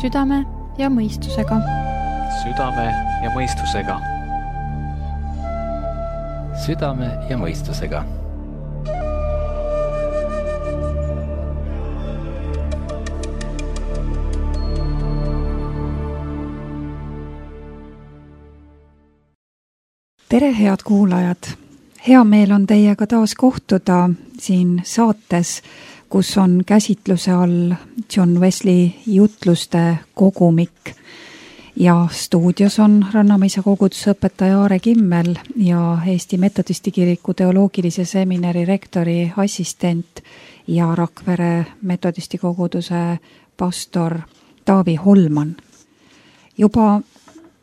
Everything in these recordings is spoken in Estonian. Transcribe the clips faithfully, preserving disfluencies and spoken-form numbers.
südame ja mõistusega. Südame ja mõistusega. Südame ja mõistusega. Tere, head kuulajad! Hea meel on teiega taas kohtuda siin saates, kus on käsitluse all John Wesley jutluste kogumik. Ja stuudios on Rannamäisa koguduse õpetaja Aare Kimmel ja Eesti Metodistikiriku teoloogilise seminari rektori assistent ja Rakvere Metodistikoguduse pastor Taavi Holman. Juba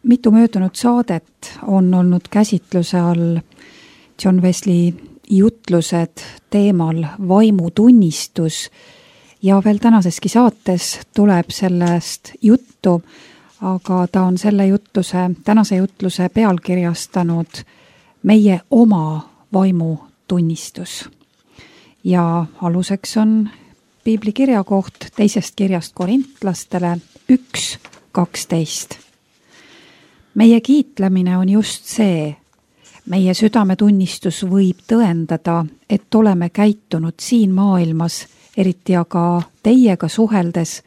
mitu möödunud saadet on olnud käsitluse all John Wesley jutlused teemal vaimutunnistus ja veel tänaseski saates tuleb sellest juttu, aga ta on selle jutluse, tänase jutluse pealkirjastanud meie oma vaimutunnistus. Ja aluseks on piibli kirjakoht teisest kirjast korintlastele üks kaksteist. Meie kiitlemine on just see, meie südametunnistus võib tõendada, et oleme käitunud siin maailmas, eriti aga teiega suheldes,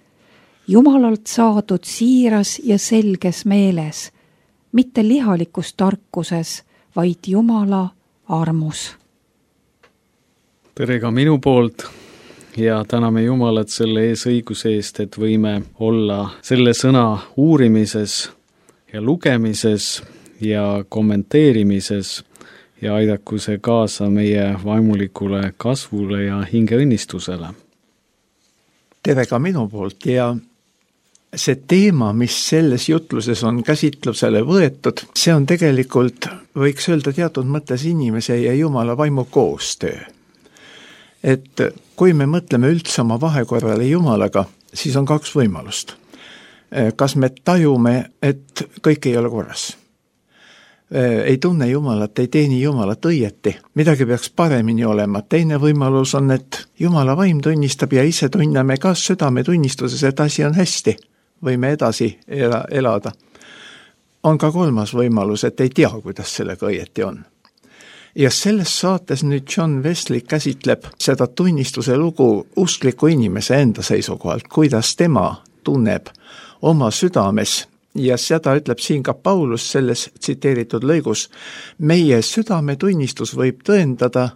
Jumalalt saadud siiras ja selges meeles, mitte lihalikus tarkuses, vaid Jumala armus. Tere ka minu poolt ja täname Jumalat selle ees õiguse eest, et võime olla selle sõna uurimises ja lugemises ja kommenteerimises ja aidaku see kaasa meie vaimulikule kasvule ja hingeõnnistusele. Tere ka minu poolt ja see teema, mis selles jutluses on käsitlusele võetud, see on tegelikult, võiks öelda teatud mõttes inimese ja Jumala vaimu koostöö. Et kui me mõtleme üldse oma vahekorrale Jumalaga, siis on kaks võimalust. Kas me tajume, et kõik ei ole korras? Ei tunne Jumalat, ei teeni Jumalat õieti. Midagi peaks paremini olema. Teine võimalus on, et Jumala vaim tunnistab ja ise tunneme ka südametunnistuses, et asi on hästi. Võime edasi elada. On ka kolmas võimalus, et ei tea, kuidas sellega õieti on. Ja selles saates nüüd John Wesley käsitleb seda tunnistuse lugu uskliku inimese enda seisukohalt, kuidas tema tunneb oma südames ja seda ütleb siin ka Paulus selles tsiteeritud lõigus. Meie südametunnistus võib tõendada,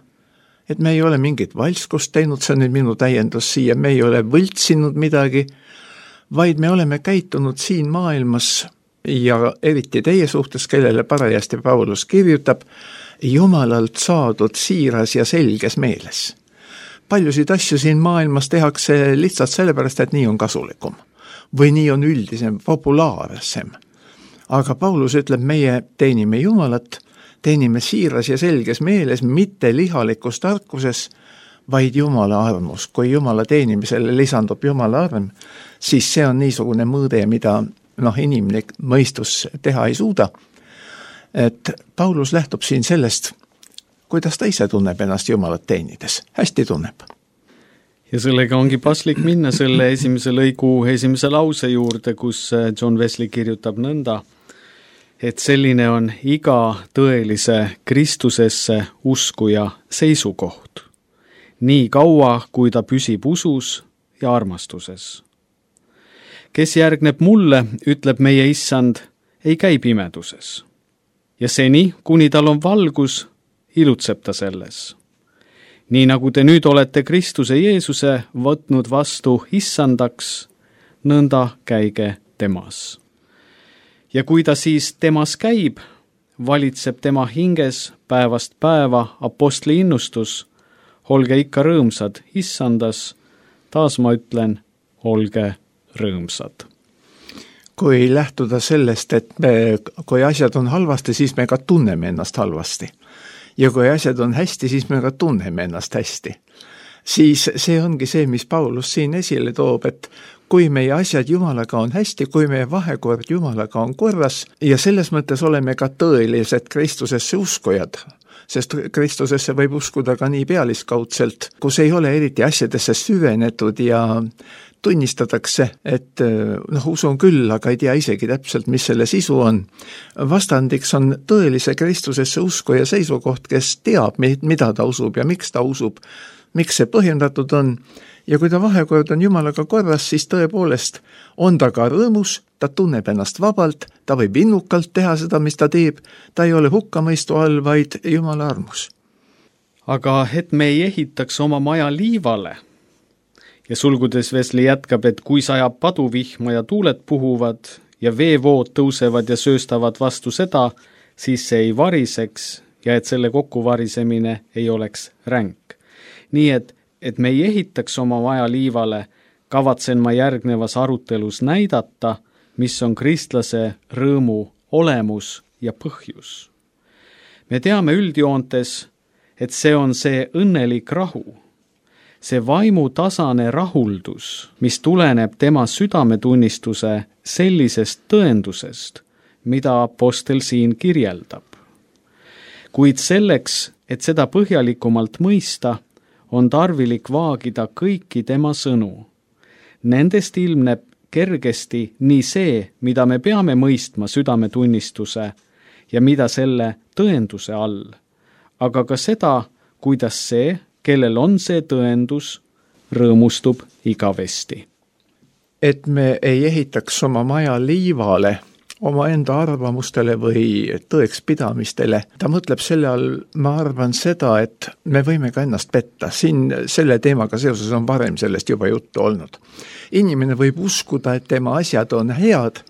et me ei ole mingit valskust teinud, see on nüüd minu täiendus siia, me ei ole võltsinud midagi, vaid me oleme käitunud siin maailmas ja eriti teie suhtes, kellele parajasti Paulus kirjutab, Jumalalt saadud siiras ja selges meeles. Paljusid asju siin maailmas tehakse lihtsalt sellepärast, et nii on kasulikum. Või nii on üldisem, populaarsem. Aga Paulus ütleb, meie teenime Jumalat, teenime siiras ja selges meeles, mitte lihalikus tarkuses, vaid Jumala armus. Kui Jumala teenimisele lisandub Jumala arm, siis see on niisugune mõõde, mida noh, inimlik mõistus teha ei suuda. Et Paulus lähtub siin sellest, kuidas ta ise tunneb ennast Jumalat teenides. Hästi tunneb. Ja sellega ongi paslik minna selle esimese lõigu esimese lause juurde, kus John Wesley kirjutab nõnda, et selline on iga tõelise Kristusesse uskuja seisukoht, nii kaua, kui ta püsib usus ja armastuses. Kes järgneb mulle, ütleb meie issand, ei käi pimeduses. Ja seni, kuni tal on valgus, ilutseb ta selles. Nii nagu te nüüd olete Kristuse Jeesuse võtnud vastu issandaks, nõnda käige temas. Ja kui ta siis temas käib, valitseb tema hinges päevast päeva apostli innustus, olge ikka rõõmsad issandas, taas ma ütlen, olge rõõmsad. Kui lähtuda sellest, et me, kui asjad on halvasti, siis me ka tunneme ennast halvasti. Ja kui asjad on hästi, siis me ka tunneme ennast hästi. Siis see ongi see, mis Paulus siin esile toob, et kui meie asjad Jumalaga on hästi, kui meie vahekord Jumalaga on korras ja selles mõttes oleme ka tõelised Kristusesse uskujad, sest Kristusesse võib uskuda ka nii pealiskaudselt, kus ei ole eriti asjadesse süvenetud ja tunnistatakse, et noh, usun küll, aga ei tea isegi täpselt, mis selle sisu on. Vastandiks on tõelise Kristusesse usku ja seisukoht, kes teab, mida ta usub ja miks ta usub, miks see põhjendatud on. Ja kui ta vahekord on Jumalaga korras, siis tõepoolest on ta ka rõõmus, ta tunneb ennast vabalt, ta võib innukalt teha seda, mis ta teeb, ta ei ole hukkamõistu all, vaid Jumala armus. Aga et me ei ehitaks oma maja liivale ja sulgudes Wesley jätkab, et kui sajab paduvihma ja tuuled puhuvad ja veevood tõusevad ja sööstavad vastu seda, siis see ei variseks ja et selle kokkuvarisemine ei oleks ränk. Nii et et me ei ehitaks oma maja liivale, kavatsen ma järgnevas arutelus näidata, mis on kristlase rõõmu olemus ja põhjus. Me teame üldjoontes, et see on see õnnelik rahu, see vaimutasane rahuldus, mis tuleneb tema südametunnistuse sellisest tõendusest, mida apostel siin kirjeldab. Kuid selleks, et seda põhjalikumalt mõista, on tarvilik vaagida kõiki tema sõnu. Nendest ilmneb kergesti nii see, mida me peame mõistma südametunnistuse ja mida selle tõenduse all, aga ka seda, kuidas see, kellel on see tõendus, rõõmustub igavesti. Et me ei ehitaks oma maja liivale, oma enda arvamustele või tõekspidamistele. Ta mõtleb selle all, ma arvan seda, et me võime ka ennast petta. Siin selle teemaga seoses on varem sellest juba juttu olnud. Inimene võib uskuda, et tema asjad on head,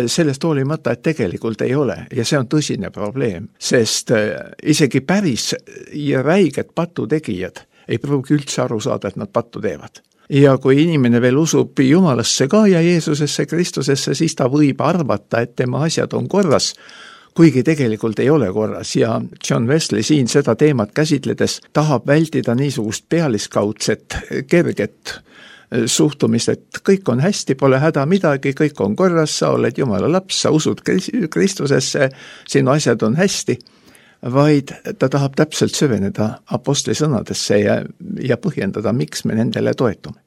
sellest hoolimata, et tegelikult ei ole. Ja see on tõsine probleem, sest isegi päris ja räiged patutegijad ei pruugi üldse aru saada, et nad pattu teevad. Ja kui inimene veel usub Jumalasse ka ja Jeesusesse, Kristusesse, siis ta võib arvata, et tema asjad on korras, kuigi tegelikult ei ole korras. Ja John Wesley siin seda teemat käsitledes tahab vältida niisugust pealiskaudset, kerget suhtumist, et kõik on hästi, pole häda midagi, kõik on korras, sa oled Jumala laps, sa usud Kristusesse, sinu asjad on hästi, vaid ta tahab täpselt süveneda apostli sõnadesse ja, ja põhjendada, miks me nendele toetume.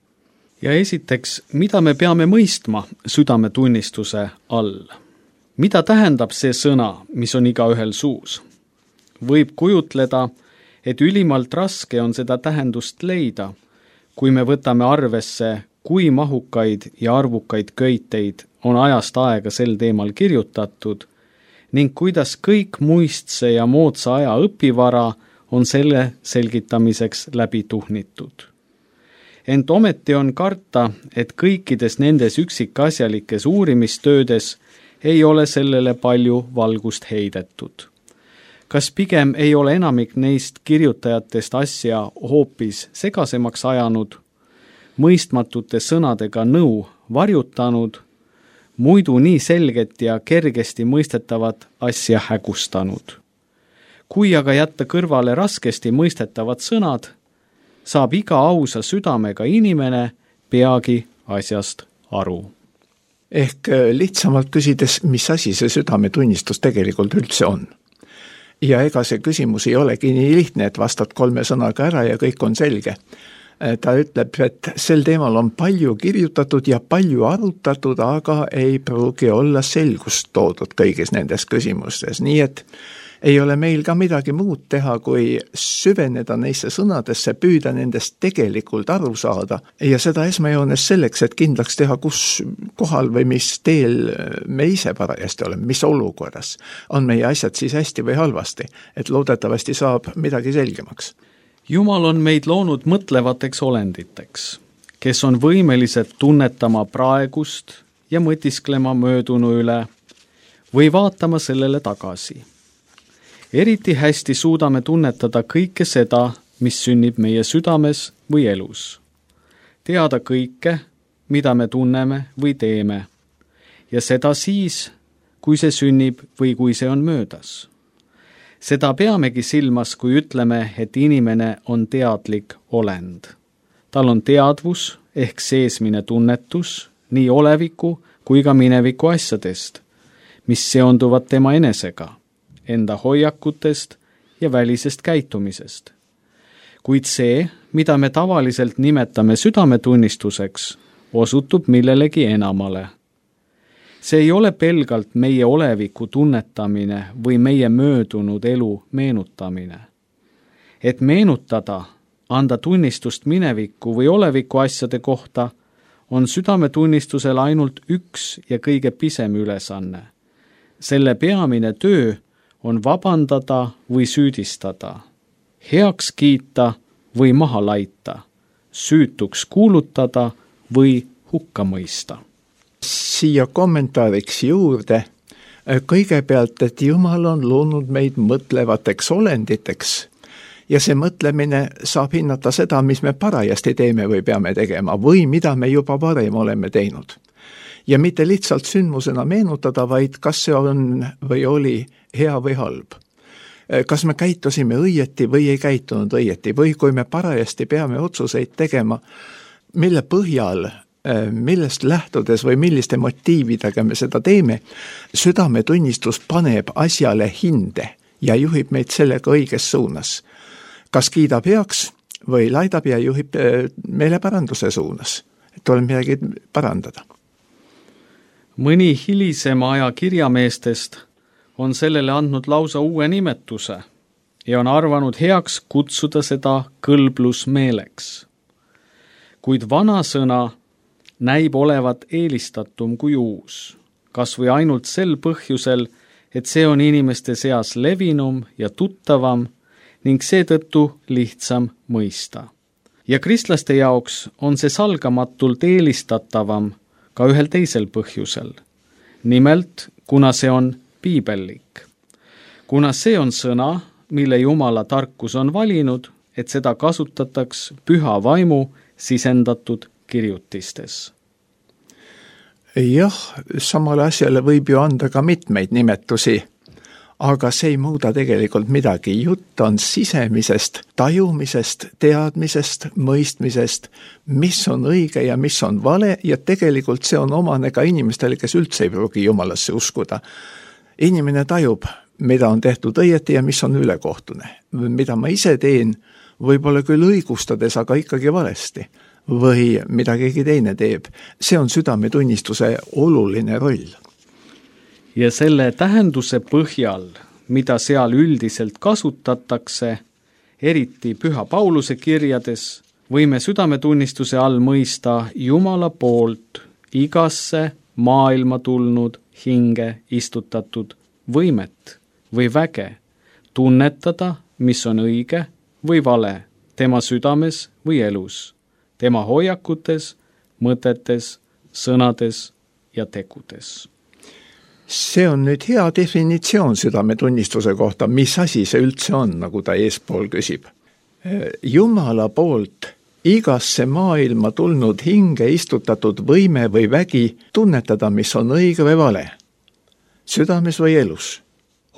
Ja esiteks, mida me peame mõistma südametunnistuse all? Mida tähendab see sõna, mis on igaühel suus? Võib kujutleda, et ülimalt raske on seda tähendust leida, kui me võtame arvesse, kui mahukaid ja arvukaid köiteid on ajast aega sel teemal kirjutatud, ning kuidas kõik muistse ja moodsa aja õpivara on selle selgitamiseks läbi tuhnitud. Ent ometi on karta, et kõikides nendes üksikasjalikes uurimistöödes ei ole sellele palju valgust heidetud. Kas pigem ei ole enamik neist kirjutajatest asja hoopis segasemaks ajanud, mõistmatute sõnadega nõu varjutanud, muidu nii selget ja kergesti mõistetavat asja hägustanud. Kui aga jätta kõrvale raskesti mõistetavad sõnad, saab iga ausa südamega inimene peagi asjast aru. Ehk lihtsamalt küsides, mis asi see südametunnistus tegelikult üldse on. Ja ega see küsimus ei olegi nii lihtne, et vastad kolme sõnaga ära ja kõik on selge. Ta ütleb, et sel teemal on palju kirjutatud ja palju arutatud, aga ei pruugi olla selgust toodud kõigis nendes küsimustes. Nii et ei ole meil ka midagi muud teha, kui süveneda neisse sõnadesse, püüda nendest tegelikult aru saada ja seda esmajoones selleks, et kindlaks teha, kus kohal või mis teel me ise parajasti oleme, mis olukorras on meie asjad siis hästi või halvasti, et loodetavasti saab midagi selgemaks. Jumal on meid loonud mõtlevateks olenditeks, kes on võimelised tunnetama praegust ja mõtisklema möödunu üle või vaatama sellele tagasi. Eriti hästi suudame tunnetada kõike seda, mis sünnib meie südames või elus. Teada kõike, mida me tunneme või teeme, ja seda siis, kui see sünnib või kui see on möödas. Seda peamegi silmas, kui ütleme, et inimene on teadlik olend. Tal on teadvus ehk seesmine tunnetus nii oleviku kui ka mineviku asjadest, mis seonduvad tema enesega, enda hoiakutest ja välisest käitumisest. Kuid see, mida me tavaliselt nimetame südametunnistuseks, osutub millelegi enamale. See ei ole pelgalt meie oleviku tunnetamine või meie möödunud elu meenutamine. Et meenutada, anda tunnistust mineviku või oleviku asjade kohta, on südametunnistusel ainult üks ja kõige pisem ülesanne. Selle peamine töö on vabandada või süüdistada, heaks kiita või maha laita, süütuks kuulutada või hukka mõista. Siia kommentaariks juurde kõigepealt, et Jumal on loonud meid mõtlevateks olenditeks ja see mõtlemine saab hinnata seda, mis me parajasti teeme või peame tegema või mida me juba varem oleme teinud. Ja mitte lihtsalt sündmusena meenutada, vaid kas see on või oli hea või halb. Kas me käitusime õieti või ei käitunud õieti või kui me parajasti peame otsuseid tegema, mille põhjal, millest lähtudes või milliste motiividega me seda teeme, südametunnistus paneb asjale hinde ja juhib meid sellega õiges suunas. Kas kiidab heaks või laidab ja juhib meile paranduse suunas, et tuleb midagi parandada. Mõni hilisema aja kirjameestest on sellele andnud lausa uue nimetuse ja on arvanud heaks kutsuda seda kõlblusmeeleks. Kuid vana sõna näib olevat eelistatum kui uus, kas või ainult sel põhjusel, et see on inimeste seas levinum ja tuttavam ning seetõttu lihtsam mõista. Ja kristlaste jaoks on see salgamatult eelistatavam ka ühel teisel põhjusel. Nimelt, kuna see on piibellik. Kuna see on sõna, mille Jumala tarkus on valinud, et seda kasutataks püha vaimu sisendatud kirjutistes. Jah, samale asjale võib ju anda ka mitmeid nimetusi, aga see ei muuda tegelikult midagi. Jutt on sisemisest tajumisest, teadmisest, mõistmisest, mis on õige ja mis on vale ja tegelikult see on omane ka inimestele, kes üldse ei pruugi Jumalasse uskuda. Inimene tajub, mida on tehtud õieti ja mis on ülekohtune. Mida ma ise teen, võib-olla küll õigustades, aga ikkagi valesti. Või mida keegi teine teeb. See on südametunnistuse oluline roll. Ja selle tähenduse põhjal, mida seal üldiselt kasutatakse, eriti Püha Pauluse kirjades, võime südametunnistuse all mõista Jumala poolt igasse maailma tulnud hinge istutatud võimet või väge, tunnetada, mis on õige või vale tema südames või elus, tema hoiakutes, mõtetes, sõnades ja tegudes. See on nüüd hea definitsioon südametunnistuse kohta, mis asi see üldse on, nagu ta eespool küsib. Jumala poolt igasse maailma tulnud hinge istutatud võime või vägi tunnetada, mis on õige või vale, südames või elus,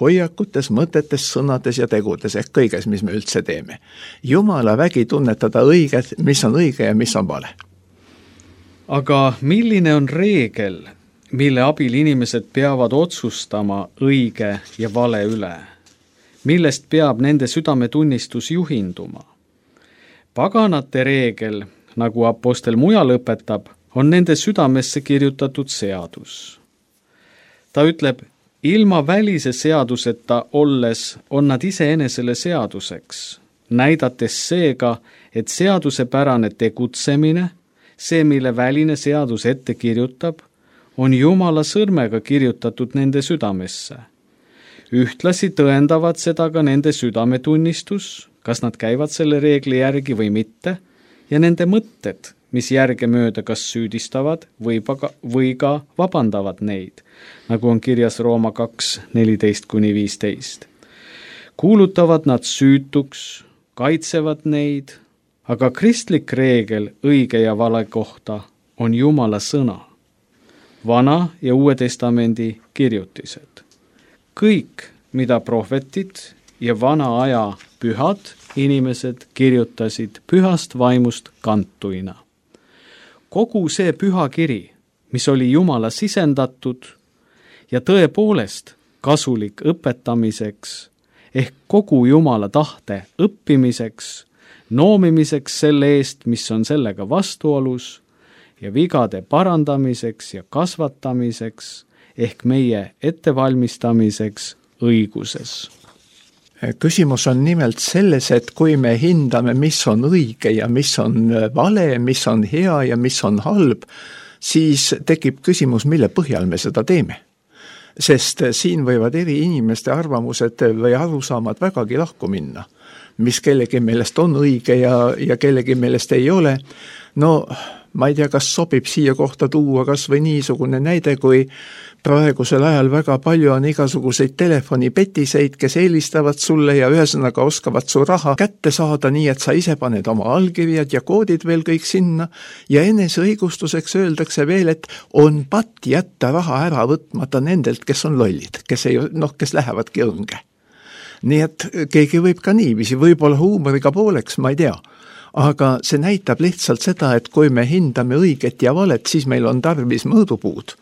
hoiakutes, mõtetes, sõnades ja tegudes ehk kõiges, mis me üldse teeme. Jumala vägi tunnetada õiget, mis on õige ja mis on vale. Aga milline on reegel, mille abil inimesed peavad otsustama õige ja vale üle? Millest peab nende südametunnistus juhinduma? Paganate reegel, nagu apostel mujal õpetab, on nende südamesse kirjutatud seadus. Ta ütleb, ilma välise seaduseta olles on nad iseenesele seaduseks, näidates seega, et seadusepärane tegutsemine, see, mille väline seadus ette kirjutab, on Jumala sõrmega kirjutatud nende südamesse. Ühtlasi tõendavad seda ka nende südametunnistus, kas nad käivad selle reegli järgi või mitte, ja nende mõtted, mis järgemööda kas süüdistavad või, paga, või ka vabandavad neid, nagu on kirjas Rooma kaks neliteist kuni viisteist. Kuulutavad nad süütuks, kaitsevad neid, aga kristlik reegel õige ja vale kohta on Jumala sõna. Vana ja Uue Testamendi kirjutised. Kõik, mida prohvetid ja vana aja pühad inimesed kirjutasid pühast vaimust kantuina. Kogu see püha kiri, mis oli Jumala sisendatud ja tõepoolest kasulik õpetamiseks ehk kogu Jumala tahte õppimiseks, noomimiseks selle eest, mis on sellega vastuolus ja vigade parandamiseks ja kasvatamiseks ehk meie ettevalmistamiseks õiguses. Küsimus on nimelt selles, et kui me hindame, mis on õige ja mis on vale, mis on hea ja mis on halb, siis tekib küsimus, mille põhjal me seda teeme. Sest siin võivad eri inimeste arvamused või arusaamad vägagi lahku minna, mis kellegi meelest on õige ja, ja kellegi meelest ei ole. No ma ei tea, kas sobib siia kohta tuua kas või niisugune näide, kui praegusel ajal väga palju on igasuguseid telefonipetiseid, kes eelistavad sulle ja ühesõnaga oskavad su raha kätte saada nii, et sa ise paned oma allkirjad ja koodid veel kõik sinna ja enese õigustuseks öeldakse veel, et on patt jätta raha ära võtmata nendelt, kes on lollid, kes ei, noh, kes lähevadki õnge. Nii et keegi võib ka niiviisi, võib-olla huumoriga pooleks, ma ei tea. Aga see näitab lihtsalt seda, et kui me hindame õiget ja valet, siis meil on tarvis mõõdupuud.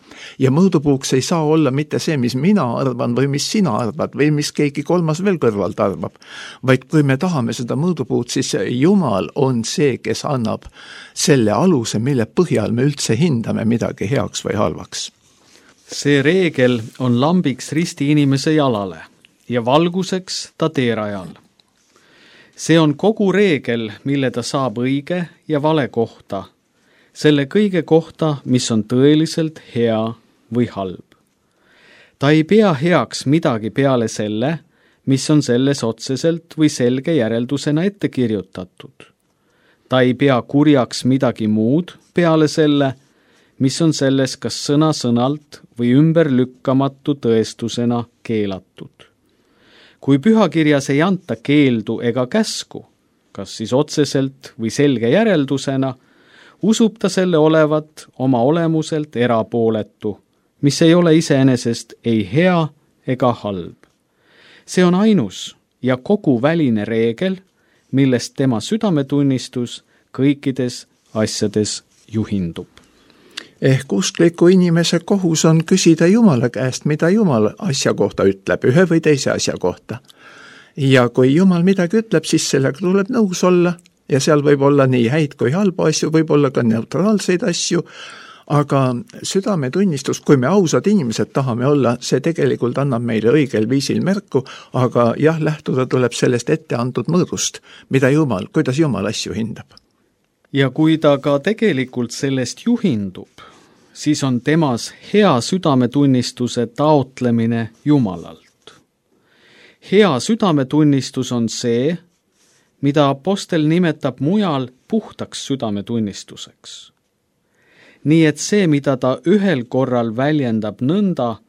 Ja mõõdupuuks ei saa olla mitte see, mis mina arvan või mis sina arvad või mis keegi kolmas veel kõrvalt arvab. Vaid kui me tahame seda mõõdupuud, siis Jumal on see, kes annab selle aluse, mille põhjal me üldse hindame midagi heaks või halvaks. See reegel on lambiks risti inimese jalale ja valguseks ta teerajal. See on kogu reegel, mille ta saab õige ja vale kohta, selle kõige kohta, mis on tõeliselt hea või halb. Ta ei pea heaks midagi peale selle, mis on selles otseselt või selge järeldusena ette kirjutatud. Ta ei pea kurjaks midagi muud peale selle, mis on selles kas sõna-sõnalt või ümberlükkamatu tõestusena keelatud. Kui pühakirjas ei anta keeldu ega käsku, kas siis otseselt või selge järeldusena, usub ta selle olevat oma olemuselt erapooletu, mis ei ole iseenesest ei hea ega halb. See on ainus ja kogu väline reegel, millest tema südametunnistus kõikides asjades juhindub. Ehk uskliku inimese kohus on küsida Jumala käest, mida Jumal asja kohta ütleb, ühe või teise asja kohta. Ja kui Jumal midagi ütleb, siis sellega tuleb nõus olla ja seal võib olla nii häid kui halba asju, võib olla ka neutraalseid asju, aga südametunnistus, kui me ausad inimesed tahame olla, see tegelikult annab meile õigel viisil märku, aga jah, lähtuda tuleb sellest ette antud mõõdust, mida Jumal, kuidas Jumal asju hindab. Ja kui ta ka tegelikult sellest juhindub, siis on temas hea südametunnistuse taotlemine Jumalalt. Hea südametunnistus on see, mida apostel nimetab mujal puhtaks südametunnistuseks. Nii et see, mida ta ühel korral väljendab nõnda,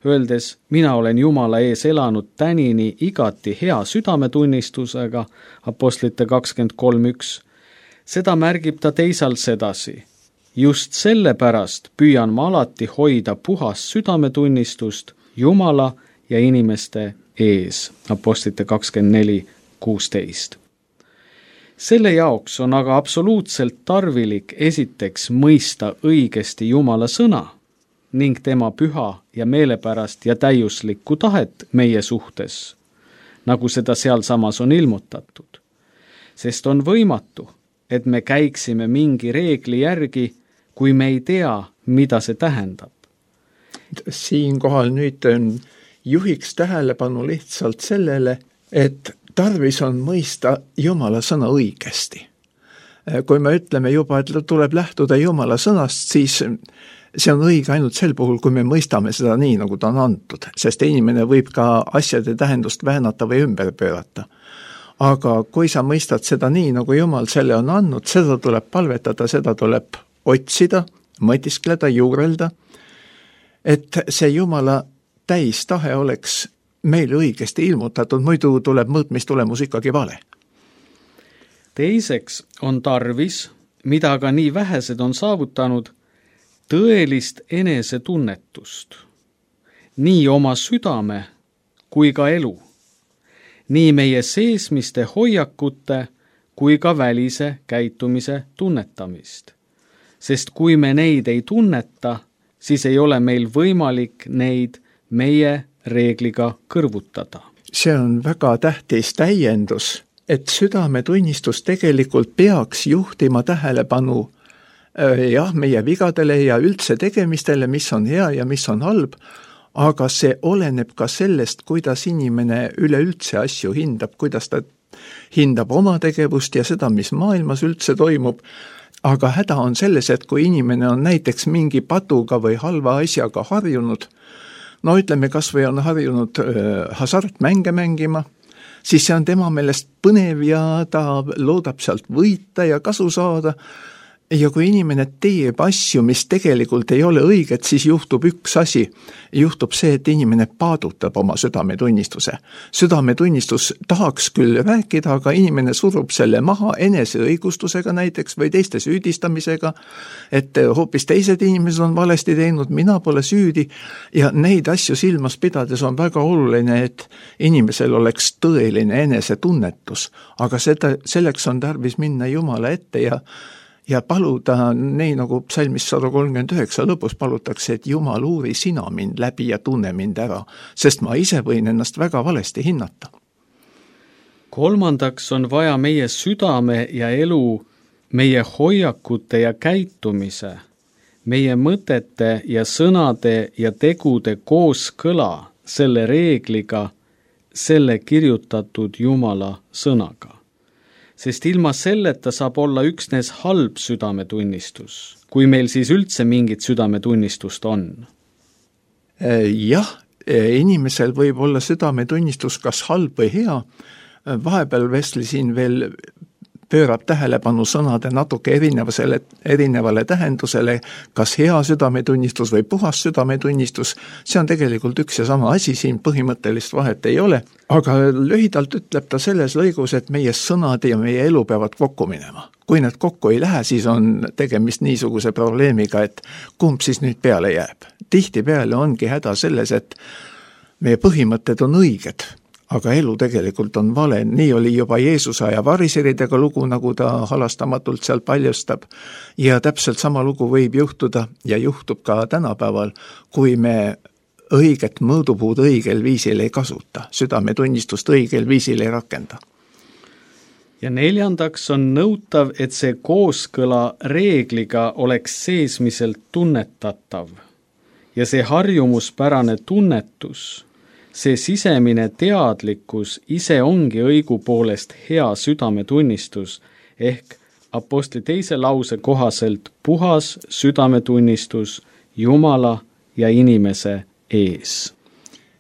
öeldes, mina olen Jumala ees elanud tänini igati hea südametunnistusega, apostlite kakskümmend kolm üks, seda märgib ta teisalt sedasi. Just sellepärast püüan ma alati hoida puhas südametunnistust Jumala ja inimeste ees. Apostlite kakskümmend neli kuusteist. Selle jaoks on aga absoluutselt tarvilik esiteks mõista õigesti Jumala sõna ning tema püha ja meelepärast ja täiuslikku tahet meie suhtes, nagu seda sealsamas on ilmutatud. Sest on võimatu, et me käiksime mingi reegli järgi, kui me ei tea, mida see tähendab. Siinkohal nüüd juhiks tähelepanu lihtsalt sellele, et tarvis on mõista Jumala sõna õigesti. Kui me ütleme juba, et tuleb lähtuda Jumala sõnast, siis see on õige ainult sel puhul, kui me mõistame seda nii, nagu ta on antud, sest inimene võib ka asjade tähendust väänata või ümber pöörata. Aga kui sa mõistad seda nii, nagu Jumal selle on andnud, seda tuleb palvetada, seda tuleb otsida, mõtiskleda, juurelda, et see Jumala täistahe oleks meile õigesti ilmutatud, muidu tuleb mõõtmistulemus ikkagi vale. Teiseks on tarvis, mida ka nii vähesed on saavutanud, tõelist enesetunnetust, nii oma südame kui ka elu. Nii meie seesmiste hoiakute kui ka välise käitumise tunnetamist. Sest kui me neid ei tunneta, siis ei ole meil võimalik neid meie reegliga kõrvutada. See on väga tähtis täiendus, et südametunnistus tegelikult peaks juhtima tähelepanu jah, meie vigadele ja üldse tegemistele, mis on hea ja mis on halb, aga see oleneb ka sellest, kuidas inimene üleüldse asju hindab, kuidas ta hindab oma tegevust ja seda, mis maailmas üldse toimub. Aga häda on selles, et kui inimene on näiteks mingi patuga või halva asjaga harjunud, no ütleme, kas või on harjunud äh, hasartmänge mängima, siis see on tema meelest põnev ja ta loodab sealt võita ja kasu saada. Ja kui inimene teeb asju, mis tegelikult ei ole õiged, siis juhtub üks asi. Juhtub see, et inimene paadutab oma südametunnistuse. Südametunnistus tahaks küll rääkida, aga inimene surub selle maha enese õigustusega näiteks või teiste süüdistamisega, et hoopis teised inimesed on valesti teinud, mina pole süüdi. Ja neid asju silmas pidades on väga oluline, et inimesel oleks tõeline enesetunnetus, aga seda, selleks on tarvis minna Jumala ette ja ja paluda, nii nagu psalmis sada kolmkümmend üheksa lõpus palutakse, et Jumal, uuri sina mind läbi ja tunne mind ära, sest ma ise võin ennast väga valesti hinnata. Kolmandaks on vaja meie südame ja elu, meie hoiakute ja käitumise, meie mõtete ja sõnade ja tegude kooskõla selle reegliga, selle kirjutatud Jumala sõnaga. Sest ilma selleta saab olla üksnes halb südametunnistus, kui meil siis üldse mingit südametunnistust on. Jah, inimesel võib olla südametunnistus kas halb või hea. Vahepeal Wesley siin veel pöörab tähelepanu sõnade natuke erinevale, erinevale tähendusele, kas hea südametunnistus või puhas südametunnistus. See on tegelikult üks ja sama asi, siin põhimõttelist vahet ei ole. Aga lühidalt ütleb ta selles lõigus, et meie sõnad ja meie elu peavad kokku minema. Kui need kokku ei lähe, siis on tegemist niisuguse probleemiga, et kumb siis nüüd peale jääb. Tihti peale ongi häda selles, et meie põhimõtted on õiged, aga elu tegelikult on vale. Nii oli juba Jeesuse aja variseridega lugu, nagu ta halastamatult seal paljastab. Ja täpselt sama lugu võib juhtuda ja juhtub ka tänapäeval, kui me õiget mõõdupuud õigel viisil ei kasuta, südametunnistust õigel viisil ei rakenda. Ja neljandaks on nõutav, et see kooskõla reegliga oleks seesmiselt tunnetatav. Ja see harjumuspärane tunnetus, see sisemine teadlikkus ise ongi õigupoolest hea südametunnistus ehk apostli teise lause kohaselt puhas südametunnistus Jumala ja inimese ees.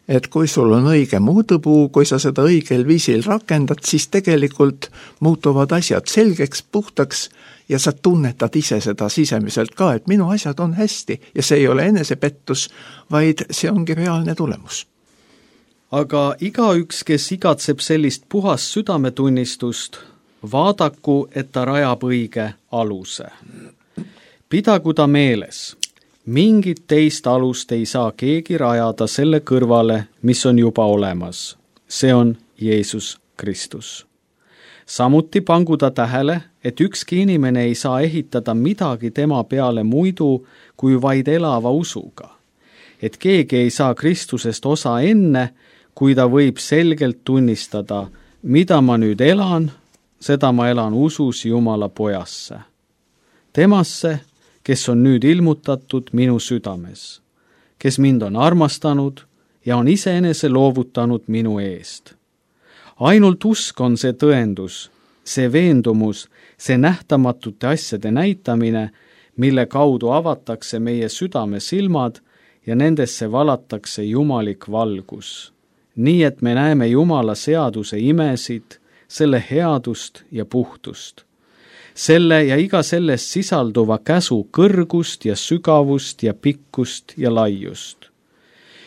Et kui sul on õige mõõdupuu, kui sa seda õigel viisil rakendad, siis tegelikult muutuvad asjad selgeks, puhtaks ja sa tunnetad ise seda sisemiselt ka, et minu asjad on hästi ja see ei ole enesepettus, vaid see ongi reaalne tulemus. Aga igaüks, kes igatseb sellist puhast südametunnistust, vaadaku, et ta rajab õige aluse. Pidagu ta meeles, mingit teist alust ei saa keegi rajada selle kõrvale, mis on juba olemas. See on Jeesus Kristus. Samuti pangu ta tähele, et ükski inimene ei saa ehitada midagi tema peale muidu kui vaid elava usuga. Et keegi ei saa Kristusest osa enne, kui ta võib selgelt tunnistada, mida ma nüüd elan, seda ma elan usus Jumala pojasse. Temasse, kes on nüüd ilmutatud minu südames, kes mind on armastanud ja on iseenese loovutanud minu eest. Ainult usk on see tõendus, see veendumus, see nähtamatute asjade näitamine, mille kaudu avatakse meie südame silmad ja nendesse valatakse jumalik valgus. Nii et me näeme Jumala seaduse imesid, selle headust ja puhtust. Selle ja iga sellest sisalduva käsu kõrgust ja sügavust ja pikkust ja laiust.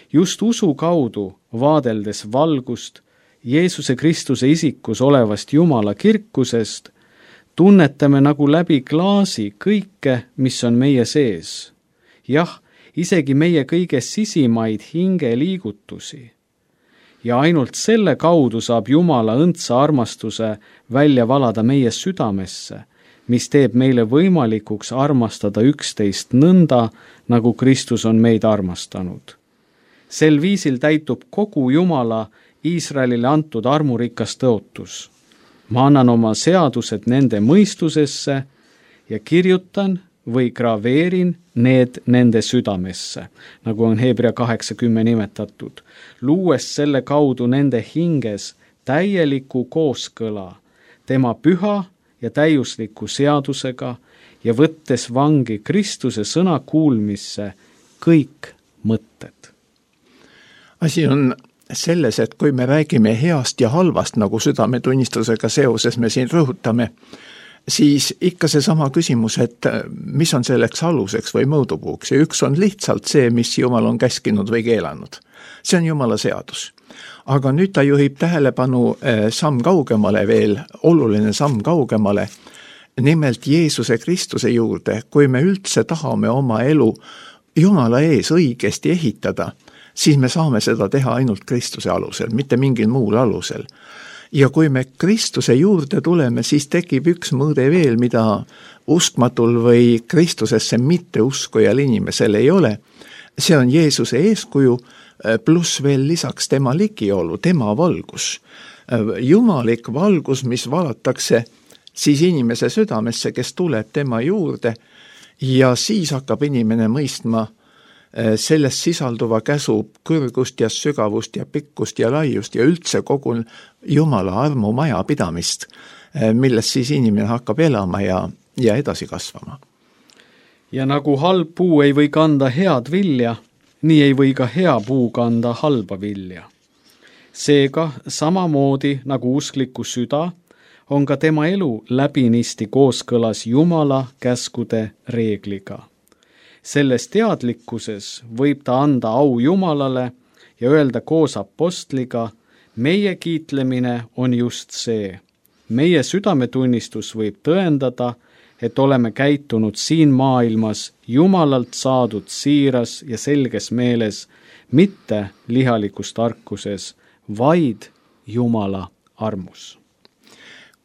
Just usu kaudu, vaadeldes valgust, Jeesuse Kristuse isikus olevast Jumala kirkusest, tunnetame nagu läbi klaasi kõike, mis on meie sees. Jah, isegi meie kõige sisimaid hingeliigutusi. Ja ainult selle kaudu saab Jumala õndsa armastuse välja valada meie südamesse, mis teeb meile võimalikuks armastada üksteist nõnda, nagu Kristus on meid armastanud. Sel viisil täitub kogu Jumala Iisraelile antud armurikas tõotus. Ma annan oma seadused nende mõistusesse ja kirjutan või graveerin need nende südamesse, nagu on Hebra kaheksa kümme nimetatud, luues selle kaudu nende hinges täieliku kooskõla tema püha ja täiusliku seadusega ja võttes vangi Kristuse sõna kuulmisse kõik mõtted. Asi on selles, et kui me räägime heast ja halvast, nagu südametunnistusega seoses me siin rõhutame, siis ikka seesama küsimus, et mis on selleks aluseks või mõõdupuuks, ja üks on lihtsalt see, mis Jumal on käskinud või keelanud. See on Jumala seadus. Aga nüüd ta juhib tähelepanu samm kaugemale veel, oluline samm kaugemale, nimelt Jeesuse Kristuse juurde. Kui me üldse tahame oma elu Jumala ees õigesti ehitada, siis me saame seda teha ainult Kristuse alusel, mitte mingil muul alusel. Ja kui me Kristuse juurde tuleme, siis tekib üks mõõde veel, mida uskmatul või Kristusesse mitte uskujal inimesel ei ole. See on Jeesuse eeskuju, pluss veel lisaks tema ligiolu, tema valgus. Jumalik valgus, mis valatakse siis inimese südamesse, kes tuleb tema juurde, ja siis hakkab inimene mõistma sellest sisalduva käsu kõrgust ja sügavust ja pikkust ja laiust ja üldse kogu Jumala armu majapidamist, milles siis inimene hakkab elama ja, ja edasi kasvama. Ja nagu halb puu ei või kanda head vilja, nii ei või ka hea puu kanda halba vilja. Seega samamoodi nagu uskliku süda, on ka tema elu läbinisti kooskõlas Jumala käskude reegliga. Selles teadlikkuses võib ta anda au Jumalale ja öelda koos apostliga, meie kiitlemine on just see. Meie südametunnistus võib tõendada, et oleme käitunud siin maailmas Jumalalt saadud siiras ja selges meeles, mitte lihalikus tarkuses, vaid Jumala armus.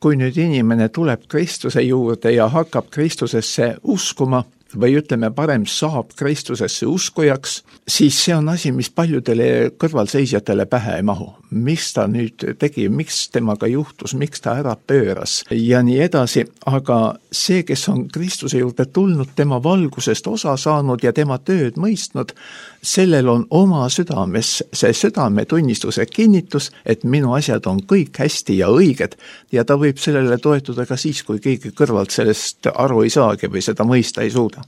Kui nüüd inimene tuleb Kristuse juurde ja hakkab Kristusesse uskuma, või ütleme parem saab Kristusesse uskujaks, siis see on asi, mis paljudele kõrvalseisjatele pähe ei mahu. Mis ta nüüd tegi, miks temaga juhtus, miks ta ära pööras ja nii edasi, aga see, kes on Kristuse juurde tulnud, tema valgusest osa saanud ja tema tööd mõistnud, sellel on oma südames see südametunnistuse kinnitus, et minu asjad on kõik hästi ja õiged ja ta võib sellele toetuda ka siis, kui keegi kõrvalt sellest aru ei saagi või seda mõista ei suuda.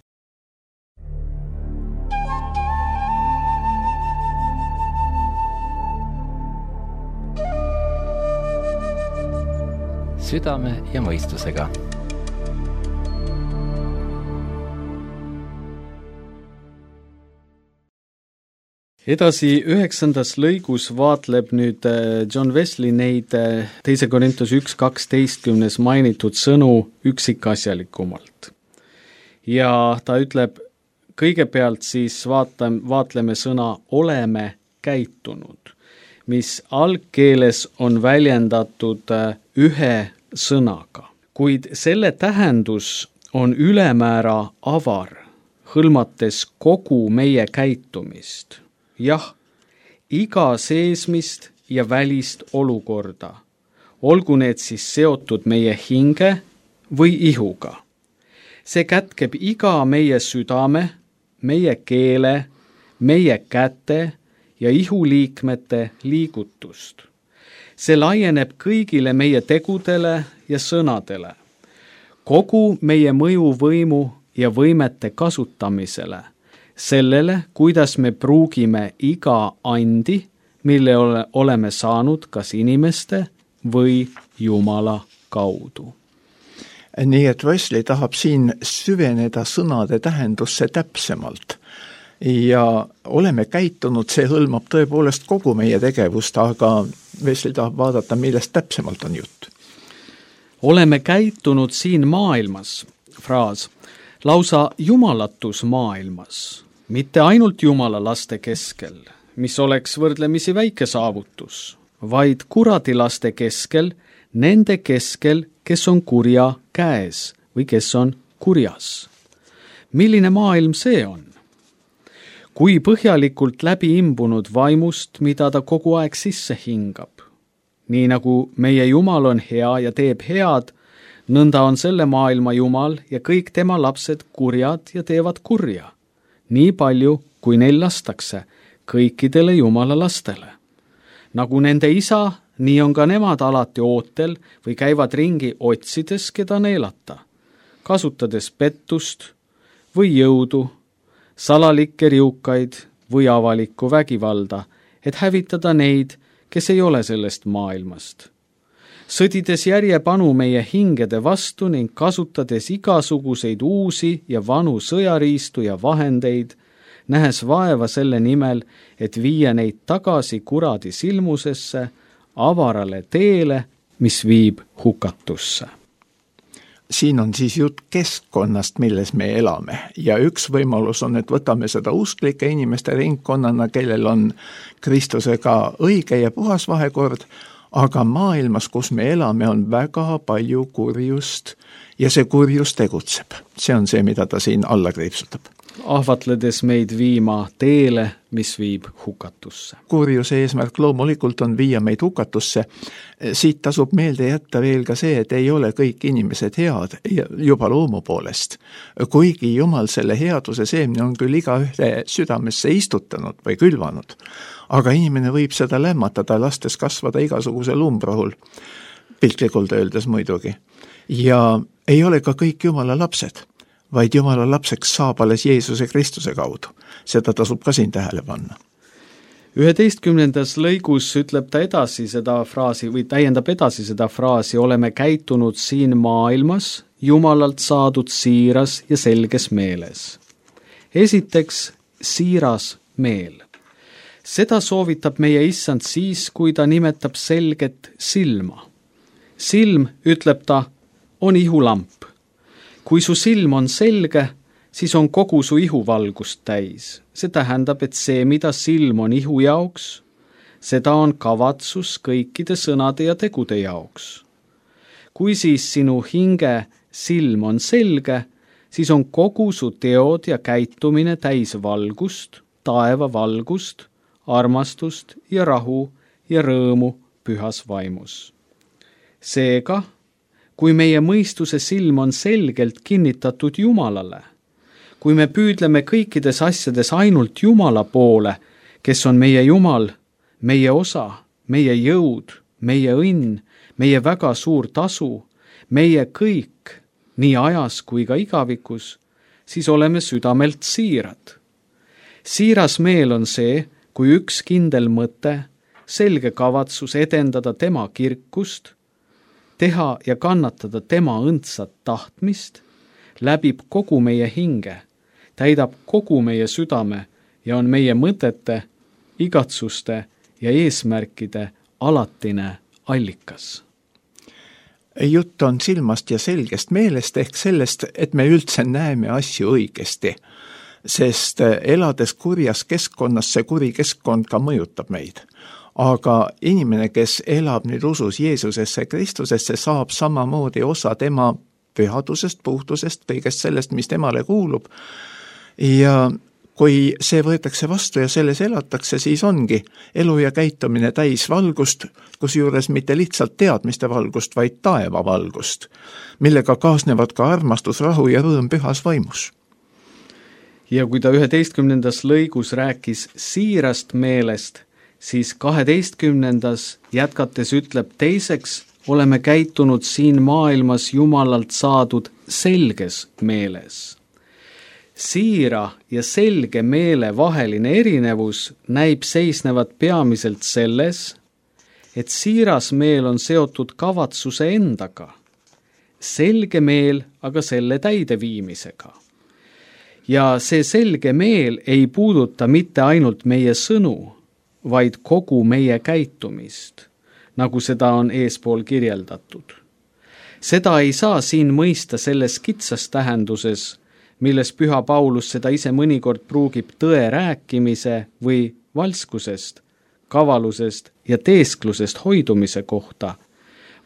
Südame ja mõistusega. Edasi üheksandas lõigus vaatleb nüüd John Wesley neid teise Korintuse üks kaksteistkümnes mainitud sõnu üksikasjalikumalt. Ja ta ütleb, kõigepealt siis vaata, vaatleme sõna oleme käitunud, mis algkeeles on väljendatud ühe sõnaga, kuid selle tähendus on ülemäära avar, hõlmates kogu meie käitumist. Jah, iga seesmist ja välist olukorda, olgu need siis seotud meie hinge või ihuga. See kätkeb iga meie südame, meie keele, meie käte ja ihuliikmete liigutust. See laieneb kõigile meie tegudele ja sõnadele, kogu meie mõjuvõimu ja võimete kasutamisele, sellele, kuidas me pruugime iga andi, mille ole, oleme saanud kas inimeste või Jumala kaudu. Nii et Wesley tahab siin süveneda sõnade tähendusse täpsemalt. Ja oleme käitunud, see hõlmab tõepoolest kogu meie tegevust, aga Wesley tahab vaadata, millest täpsemalt on jutt. Oleme käitunud siin maailmas, fraas, lausa jumalatus maailmas, mitte ainult Jumala laste keskel, mis oleks võrdlemisi väike saavutus, vaid kuradilaste keskel, nende keskel, kes on kurja käes või kes on kurjas. Milline maailm see on? Kui põhjalikult läbi imbunud vaimust, mida ta kogu aeg sisse hingab. Nii nagu meie Jumal on hea ja teeb head, nõnda on selle maailma Jumal ja kõik tema lapsed kurjad ja teevad kurja, nii palju, kui neil lastakse, kõikidele Jumala lastele. Nagu nende isa, nii on ka nemad alati ootel või käivad ringi otsides, keda neelata, kasutades pettust või jõudu, salalikke riukaid või avalikku vägivalda, et hävitada neid, kes ei ole sellest maailmast. Sõdides järjepanu meie hingede vastu ning kasutades igasuguseid uusi ja vanu sõjariistu ja vahendeid, nähes vaeva selle nimel, et viia neid tagasi kuradi silmusesse, avarale teele, mis viib hukatusse. Siin on siis jutt keskkonnast, milles me elame ja üks võimalus on, et võtame seda usklike inimeste ringkonnana, kellel on Kristusega õige ja puhas vahekord, aga maailmas, kus me elame, on väga palju kurjust ja see kurjus tegutseb. See on see, mida ta siin alla kriipsutab. Ahvatledes meid viima teele, mis viib hukatusse. Kurjuse eesmärk loomulikult on viia meid hukatusse. Siit tasub meelde jätta veel ka see, et ei ole kõik inimesed head juba loomu poolest. Kuigi Jumal selle headuse seemne on küll iga ühe südamesse istutanud või külvanud, aga inimene võib seda lämmatada, lastes kasvada igasuguse lumbrahul, piltlikult öeldes muidugi. Ja ei ole ka kõik Jumala lapsed, vaid Jumala lapseks saab alles Jeesuse Kristuse kaudu. Seda tasub ka siin tähele panna. üheteistkümnendas lõigus ütleb ta edasi seda fraasi või täiendab edasi seda fraasi, oleme käitunud siin maailmas Jumalalt saadud siiras ja selges meeles. Esiteks, siiras meel. Seda soovitab meie issand siis, kui ta nimetab selget silma. Silm, ütleb ta, on ihulamp. Kui su silm on selge, siis on kogu su ihuvalgust täis. See tähendab, et see, mida silm on ihu jaoks, seda on kavatsus kõikide sõnade ja tegude jaoks. Kui siis sinu hinge silm on selge, siis on kogu su teod ja käitumine täis valgust, taeva valgust, armastust ja rahu ja rõõmu pühas vaimus. Seega, kui meie mõistuse silm on selgelt kinnitatud Jumalale, kui me püüdleme kõikides asjades ainult Jumala poole, kes on meie Jumal, meie osa, meie jõud, meie õnn, meie väga suur tasu, meie kõik, nii ajas kui ka igavikus, siis oleme südamelt siirad. Siiras meel on see, kui üks kindel mõte, selge kavatsus edendada tema kirkust, teha ja kannatada tema õndsat tahtmist, läbib kogu meie hinge, täidab kogu meie südame ja on meie mõtete, igatsuste ja eesmärkide alatine allikas. Jutt on silmast ja selgest meelest ehk sellest, et me üldse näeme asju õigesti, sest elades kurjas keskkonnas, see kuri keskkond ka mõjutab meid. Aga inimene, kes elab nüüd usus Jeesusesse Kristusesse, saab samamoodi osa tema pühadusest, puhtusest, kõigest sellest, mis temale kuulub. Ja kui see võetakse vastu ja selles elatakse, siis ongi elu ja käitumine täis valgust, kusjuures mitte lihtsalt teadmiste valgust, vaid taeva valgust, millega kaasnevad ka armastus, rahu ja rõõm pühas vaimus. Ja kui ta üheteistkümnendas lõigus rääkis siirast meelest, siis kaheteistkümnendas jätkates ütleb teiseks, oleme käitunud siin maailmas Jumalalt saadud selges meeles. Siira ja selge meele vaheline erinevus näib seisnevat peamiselt selles, et siiras meel on seotud kavatsuse endaga, selge meel aga selle täideviimisega. Ja see selge meel ei puuduta mitte ainult meie sõnu, vaid kogu meie käitumist, nagu seda on eespool kirjeldatud. Seda ei saa siin mõista selles kitsas tähenduses, milles Püha Paulus seda ise mõnikord pruugib tõe rääkimise või valskusest, kavalusest ja teesklusest hoidumise kohta,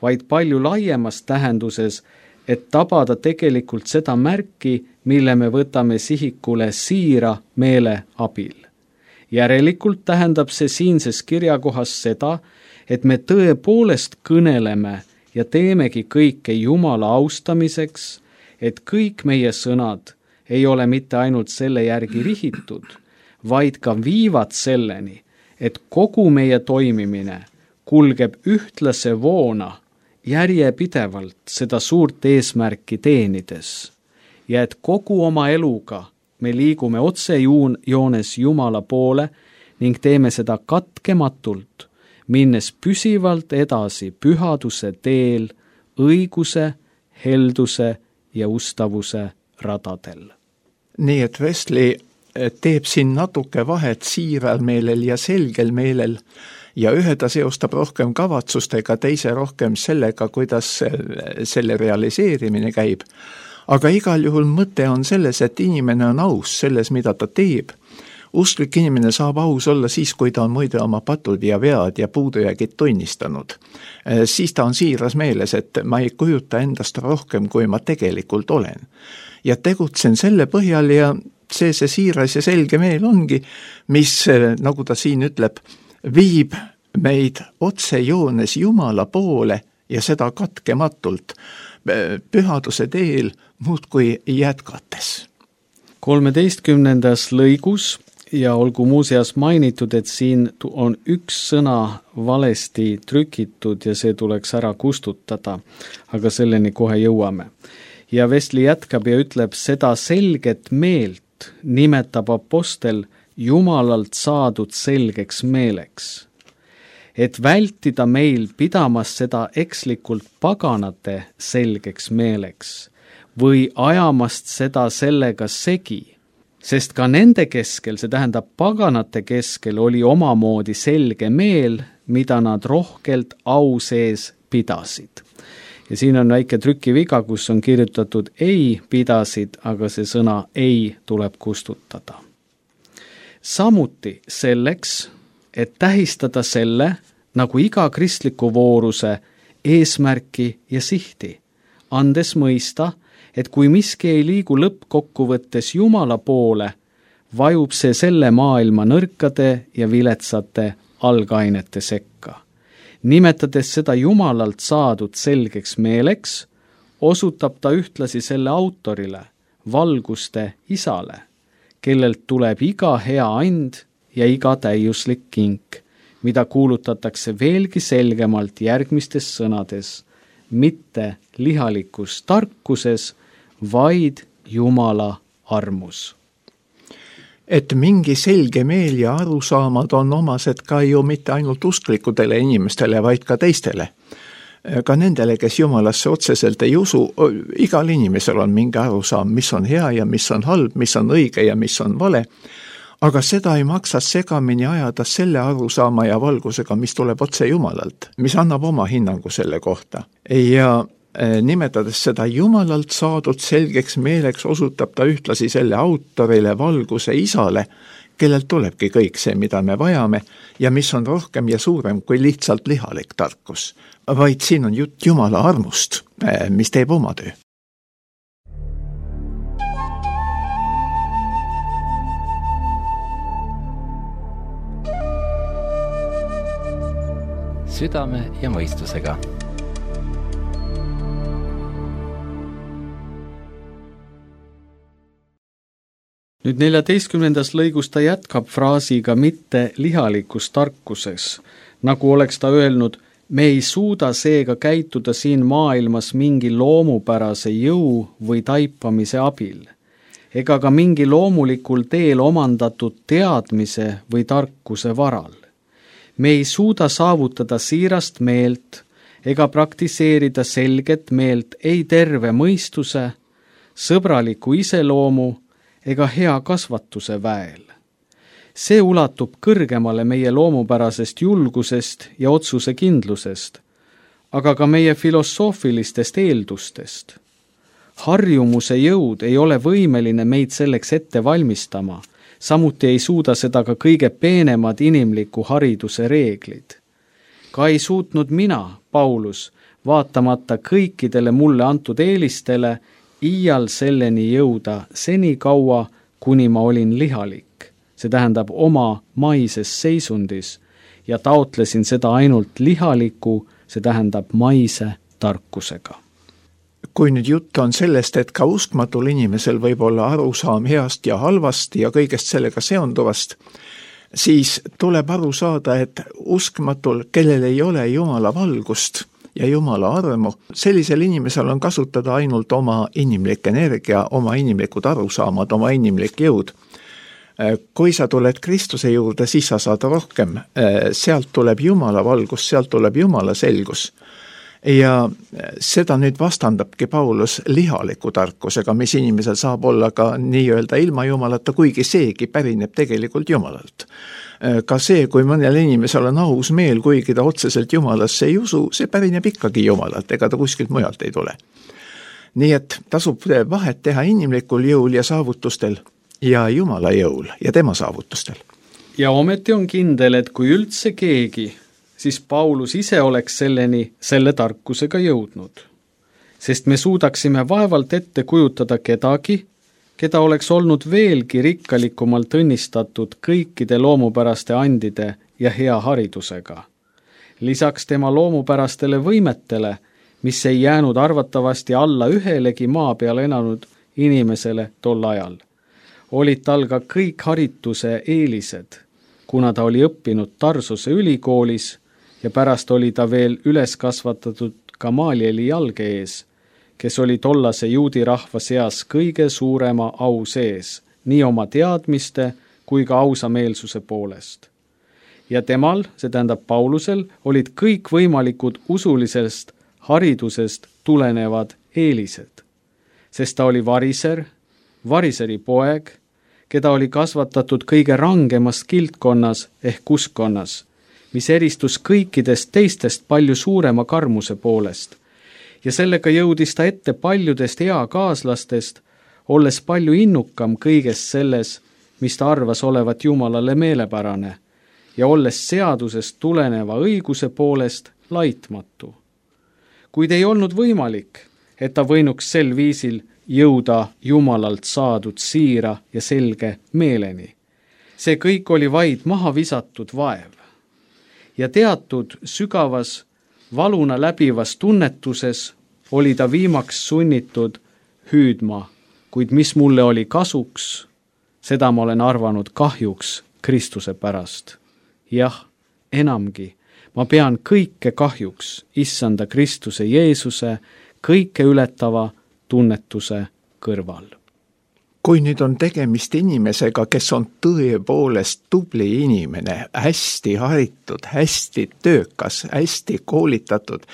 vaid palju laiemas tähenduses, et tabada tegelikult seda märki, mille me võtame sihikule siira meele abil. Järelikult tähendab see siinses kirjakohas seda, et me tõepoolest kõneleme ja teemegi kõike Jumala austamiseks, et kõik meie sõnad ei ole mitte ainult selle järgi rihitud, vaid ka viivad selleni, et kogu meie toimimine kulgeb ühtlase voona järjepidevalt seda suurt eesmärki teenides ja et kogu oma eluga me liigume otsejoones Jumala poole ning teeme seda katkematult, minnes püsivalt edasi pühaduse teel, õiguse, helduse ja ustavuse radadel. Nii et Wesley teeb siin natuke vahet siiral meelel ja selgel meelel ja ühe ta seostab rohkem kavatsustega, teise rohkem sellega, kuidas selle realiseerimine käib. Aga igal juhul mõte on selles, et inimene on aus selles, mida ta teeb. Usklik inimene saab aus olla siis, kui ta on muide oma patud ja vead ja puudujäägid tunnistanud. Siis ta on siiras meeles, et ma ei kujuta endast rohkem, kui ma tegelikult olen. Ja tegutsen selle põhjal ja see see siiras ja selge meel ongi, mis, nagu ta siin ütleb, viib meid otsejoones Jumala poole ja seda katkematult pühaduse teel muudkui jätkates. kolmeteistkümnendas lõigus ja olgu muuseas mainitud, et siin on üks sõna valesti trükitud ja see tuleks ära kustutada, aga selleni kohe jõuame. Ja Wesley jätkab ja ütleb, seda selget meelt nimetab apostel Jumalalt saadud selgeks meeleks. Et vältida meil pidamas seda ekslikult paganate selgeks meeleks või ajamast seda sellega segi, sest ka nende keskel, see tähendab paganate keskel, oli omamoodi selge meel, mida nad rohkelt au sees pidasid. Ja siin on väike trükiviga, kus on kirjutatud ei pidasid, aga see sõna ei tuleb kustutada. Samuti selleks, et tähistada selle, nagu iga kristliku vooruse eesmärki ja sihti, andes mõista, et kui miski ei liigu lõppkokkuvõttes Jumala poole, vajub see selle maailma nõrkade ja viletsate algainete sekka. Nimetades seda Jumalalt saadud selgeks meeleks, osutab ta ühtlasi selle autorile, valguste isale, kellelt tuleb iga hea and ja iga täiuslik kink, mida kuulutatakse veelgi selgemalt järgmistes sõnades, mitte lihalikus tarkuses, vaid Jumala armus. Et mingi selge meel ja arusaamad on omased ka ju mitte ainult usklikudele inimestele, vaid ka teistele. Ka nendele, kes Jumalasse otseselt ei usu, igal inimesel on mingi arusaam, mis on hea ja mis on halb, mis on õige ja mis on vale, aga seda ei maksa segamini ajada selle arusaama ja valgusega, mis tuleb otse Jumalalt, mis annab oma hinnangu selle kohta. Ja nimetades seda Jumalalt saadud selgeks meeleks, osutab ta ühtlasi selle autorile, valguse isale, kellelt tulebki kõik see, mida me vajame ja mis on rohkem ja suurem kui lihtsalt lihalik tarkus. Vaid siin on jutt Jumala armust, mis teeb oma töö. Südame ja mõistusega. Nüüd neljateistkümnendas lõigus ta jätkab fraasiga mitte lihalikus tarkuses, nagu oleks ta öelnud, me ei suuda seega käituda siin maailmas mingi loomupärase jõu või taipamise abil, ega ka mingi loomulikul teel omandatud teadmise või tarkuse varal. Me ei suuda saavutada siirast meelt ega praktiseerida selget meelt ei terve mõistuse, sõbraliku iseloomu ega hea kasvatuse väel. See ulatub kõrgemale meie loomupärasest julgusest ja otsusekindlusest, aga ka meie filosoofilistest eeldustest. Harjumuse jõud ei ole võimeline meid selleks ette valmistama, samuti ei suuda seda ka kõige peenemad inimliku hariduse reeglid. Ka ei suutnud mina, Paulus, vaatamata kõikidele mulle antud eelistele, iial selleni jõuda seni kaua, kuni ma olin lihalik. See tähendab oma maises seisundis ja taotlesin seda ainult lihaliku, see tähendab maise tarkusega. Kui nüüd jutt on sellest, et ka uskmatul inimesel võib olla arusaam heast ja halvast ja kõigest sellega seonduvast, siis tuleb aru saada, et uskmatul, kellel ei ole Jumala valgust ja Jumala armu, sellisel inimesel on kasutada ainult oma inimlik energia, oma inimlikud arusaamad, oma inimlik jõud. Kui sa tuled Kristuse juurde, siis sa saad rohkem. Sealt tuleb Jumala valgus, sealt tuleb Jumala selgus. Ja seda nüüd vastandabki Paulus lihaliku tarkusega, mis inimesel saab olla ka nii-öelda ilma Jumalata, kuigi seegi pärineb tegelikult Jumalalt. Ka see, kui mõnel inimesel on aus meel, kuigi ta otseselt Jumalasse ei usu, see pärineb ikkagi Jumalalt, ega ta kuskilt mujalt ei tule. Nii et tasub vahet teha inimlikul jõul ja saavutustel ja Jumala jõul ja tema saavutustel. Ja ometi on kindel, et kui üldse keegi, siis Paulus ise oleks selleni selle tarkusega jõudnud. Sest me suudaksime vaevalt ette kujutada kedagi, keda oleks olnud veelgi rikkalikumalt õnnistatud kõikide loomupäraste andide ja hea haridusega. Lisaks tema loomupärastele võimetele, mis ei jäänud arvatavasti alla ühelegi maa peal elanud inimesele tol ajal, olid tal ka kõik harituse eelised, kuna ta oli õppinud Tarsuse ülikoolis ja pärast oli ta veel üles kasvatatud Gamalieli jalge ees, kes oli tollase juudi rahva seas kõige suurema au sees, nii oma teadmiste kui ka ausameelsuse poolest. Ja temal, see tähendab Paulusel, olid kõik võimalikud usulisest haridusest tulenevad eelised, sest ta oli variser, variseri poeg, keda oli kasvatatud kõige rangemas kildkonnas ehk uskkonnas, mis eristus kõikidest teistest palju suurema karmuse poolest. Ja sellega jõudis ta ette paljudest eakaaslastest, olles palju innukam kõigest selles, mis ta arvas olevat Jumalale meelepärane, ja olles seadusest tuleneva õiguse poolest laitmatu. Kuid ei olnud võimalik, et ta võinuks sel viisil jõuda Jumalalt saadud siira ja selge meeleni. See kõik oli vaid maha visatud vaev. Ja teatud sügavas valuna läbivas tunnetuses oli ta viimaks sunnitud hüüdma, kuid mis mulle oli kasuks, seda ma olen arvanud kahjuks Kristuse pärast. Jah, enamgi, ma pean kõike kahjuks issanda Kristuse Jeesuse kõike ületava tunnetuse kõrval. Kui nüüd on tegemist inimesega, kes on tõepoolest tubli inimene, hästi haritud, hästi töökas, hästi koolitatud,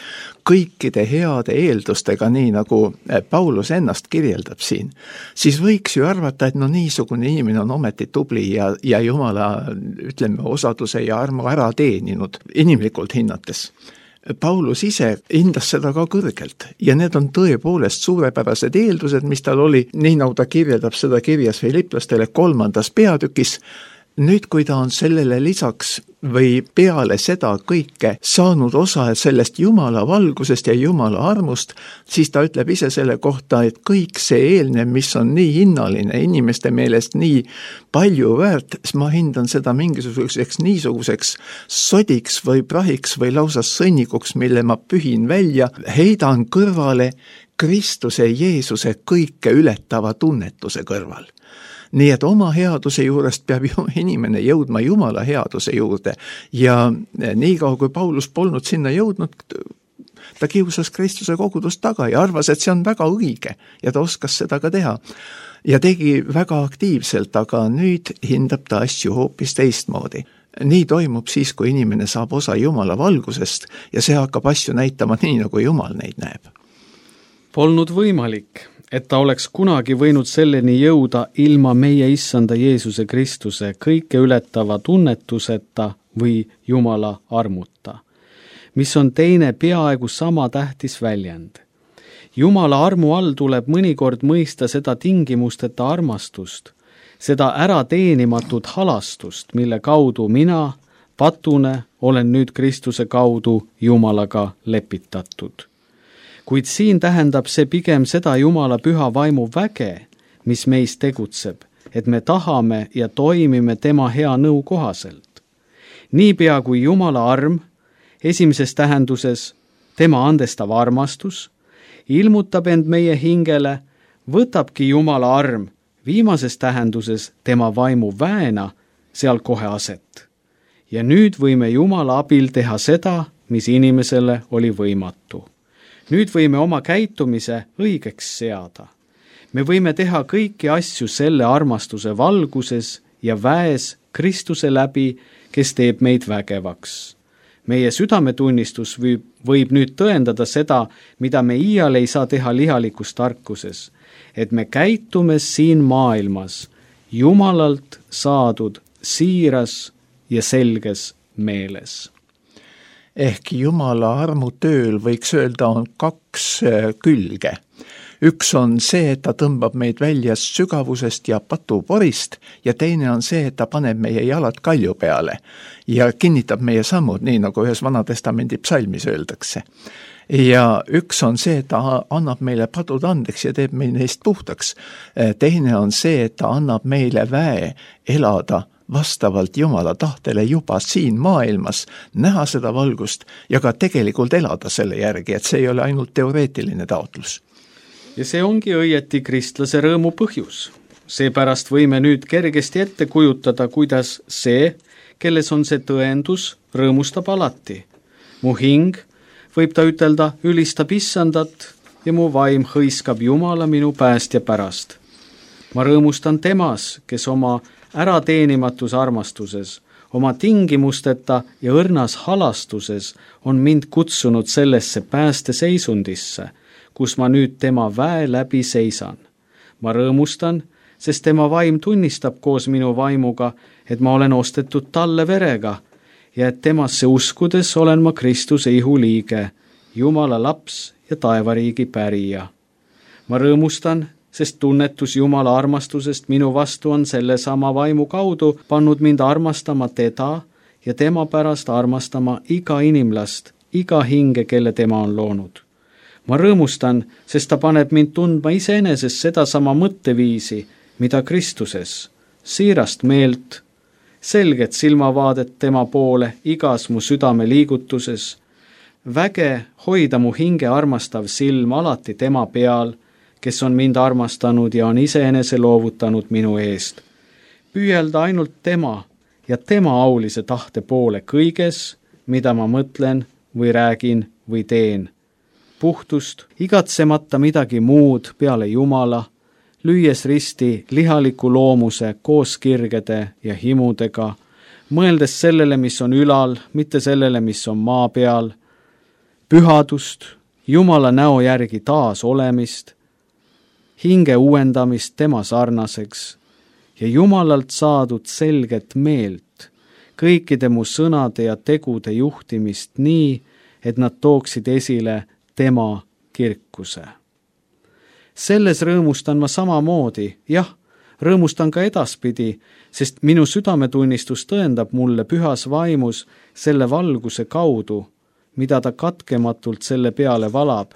kõikide heade eeldustega, nii nagu Paulus ennast kirjeldab siin, siis võiks ju arvata, et no niisugune inimene on ometi tubli ja, ja Jumala, ütleme, osaduse ja armu ära teeninud inimlikult hinnates. Paulus ise hindas seda ka kõrgelt ja need on tõepoolest suurepärased eeldused, mis tal oli, nii nagu ta kirjeldab seda kirjas Filiplastele kolmandas peatükis. Nüüd, kui ta on sellele lisaks või peale seda kõike saanud osa sellest Jumala valgusest ja Jumala armust, siis ta ütleb ise selle kohta, et kõik see eelnev, mis on nii hinnaline, inimeste meelest nii palju väärt, ma hindan seda mingisuguseks niisuguseks sodiks või prahiks või lausa sõnnikuks, mille ma pühin välja, heidan kõrvale Kristuse Jeesuse kõike ületava tunnetuse kõrval. Nii et oma headuse juurest peab ju inimene jõudma Jumala headuse juurde ja nii kaua, kui Paulus polnud sinna jõudnud, ta kiusas Kristuse kogudust taga ja arvas, et see on väga õige ja ta oskas seda ka teha. Ja tegi väga aktiivselt, aga nüüd hindab ta asju hoopis teistmoodi. Nii toimub siis, kui inimene saab osa Jumala valgusest ja see hakkab asju näitama nii, nagu Jumal neid näeb. Polnud võimalik, et ta oleks kunagi võinud selleni jõuda ilma meie issanda Jeesuse Kristuse kõike ületava tunnetuseta või Jumala armuta, mis on teine peaaegu sama tähtis väljend. Jumala armu all tuleb mõnikord mõista seda tingimusteta armastust, seda ärateenimatut halastust, mille kaudu mina, patune, olen nüüd Kristuse kaudu Jumalaga lepitatud. Kuid siin tähendab see pigem seda Jumala püha vaimu väge, mis meis tegutseb, et me tahame ja toimime tema hea nõu kohaselt. Niipea kui Jumala arm, esimeses tähenduses tema andestav armastus, ilmutab end meie hingele, võtabki Jumala arm viimases tähenduses tema vaimu väena seal kohe aset. Ja nüüd võime Jumala abil teha seda, mis inimesele oli võimatu. Nüüd võime oma käitumise õigeks seada. Me võime teha kõiki asju selle armastuse valguses ja väes Kristuse läbi, kes teeb meid vägevaks. Meie südametunnistus võib, võib nüüd tõendada seda, mida me iial ei saa teha lihalikus tarkuses, et me käitume siin maailmas Jumalalt saadud siiras ja selges meeles. Ehk Jumala armutööl võiks öelda on kaks külge. Üks on see, et ta tõmbab meid välja sügavusest ja patuporist ja teine on see, et ta paneb meie jalad kalju peale ja kinnitab meie sammud, nii nagu ühes Vanatestamendi psalmis öeldakse. Ja üks on see, et ta annab meile padud andeks ja teeb meil neist puhtaks. Teine on see, et ta annab meile väe elada vastavalt Jumala tahtele juba siin maailmas, näha seda valgust ja ka tegelikult elada selle järgi, et see ei ole ainult teoreetiline taotlus. Ja see ongi õieti kristlase rõõmu põhjus. Seepärast võime nüüd kergesti ette kujutada, kuidas see, kelles on see tõendus, rõõmustab alati. Mu hing, võib ta ütelda, ülistab issandat ja mu vaim hõiskab Jumala minu päästja pärast. Ma rõõmustan temas, kes oma ärateenimatus armastuses, oma tingimusteta ja õrnas halastuses on mind kutsunud sellesse päästeseisundisse, kus ma nüüd tema väe läbi seisan. Ma rõõmustan, sest tema vaim tunnistab koos minu vaimuga, et ma olen ostetud talle verega ja et temasse uskudes olen ma Kristuse ihuliige, Jumala laps ja taevariigi pärija. Ma rõõmustan, sest tunnetus Jumala armastusest minu vastu on selle sama vaimu kaudu pannud mind armastama teda ja tema pärast armastama iga inimlast, iga hinge, kelle tema on loonud. Ma rõõmustan, sest ta paneb mind tundma iseenesest seda sama mõtteviisi, mida Kristuses, siirast meelt, selget silmavaadet tema poole igas mu südame liigutuses, väge hoida mu hinge armastav silm alati tema peal, kes on mind armastanud ja on iseenese loovutanud minu eest. Püüelda ainult tema ja tema aulise tahte poole kõiges, mida ma mõtlen või räägin või teen. Puhtust, igatsemata midagi muud peale Jumala, lüües risti lihaliku loomuse koos kirgede ja himudega, mõeldes sellele, mis on ülal, mitte sellele, mis on maa peal, pühadust, Jumala näo järgi taas olemist, hinge uuendamist tema sarnaseks ja Jumalalt saadud selget meelt, kõikide mu sõnade ja tegude juhtimist nii, et nad tooksid esile tema kirkuse. Selles rõõmustan ma samamoodi, jah, rõõmustan ka edaspidi, sest minu südametunnistus tõendab mulle pühas vaimus selle valguse kaudu, mida ta katkematult selle peale valab,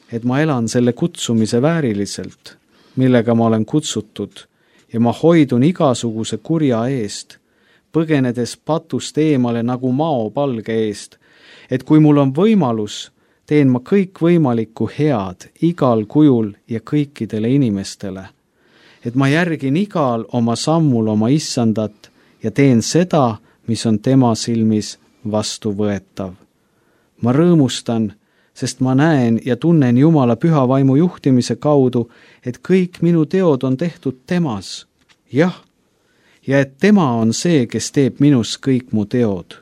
et ma elan selle kutsumise vääriliselt, millega ma olen kutsutud ja ma hoidun igasuguse kurja eest, põgenedes patust eemale nagu maopalge eest, et kui mul on võimalus, teen ma kõik võimalikku head igal kujul ja kõikidele inimestele, et ma järgin igal oma sammul oma issandat ja teen seda, mis on tema silmis vastuvõetav. Ma rõõmustan, sest ma näen ja tunnen Jumala püha vaimu juhtimise kaudu, et kõik minu teod on tehtud temas, jah, ja et tema on see, kes teeb minus kõik mu teod.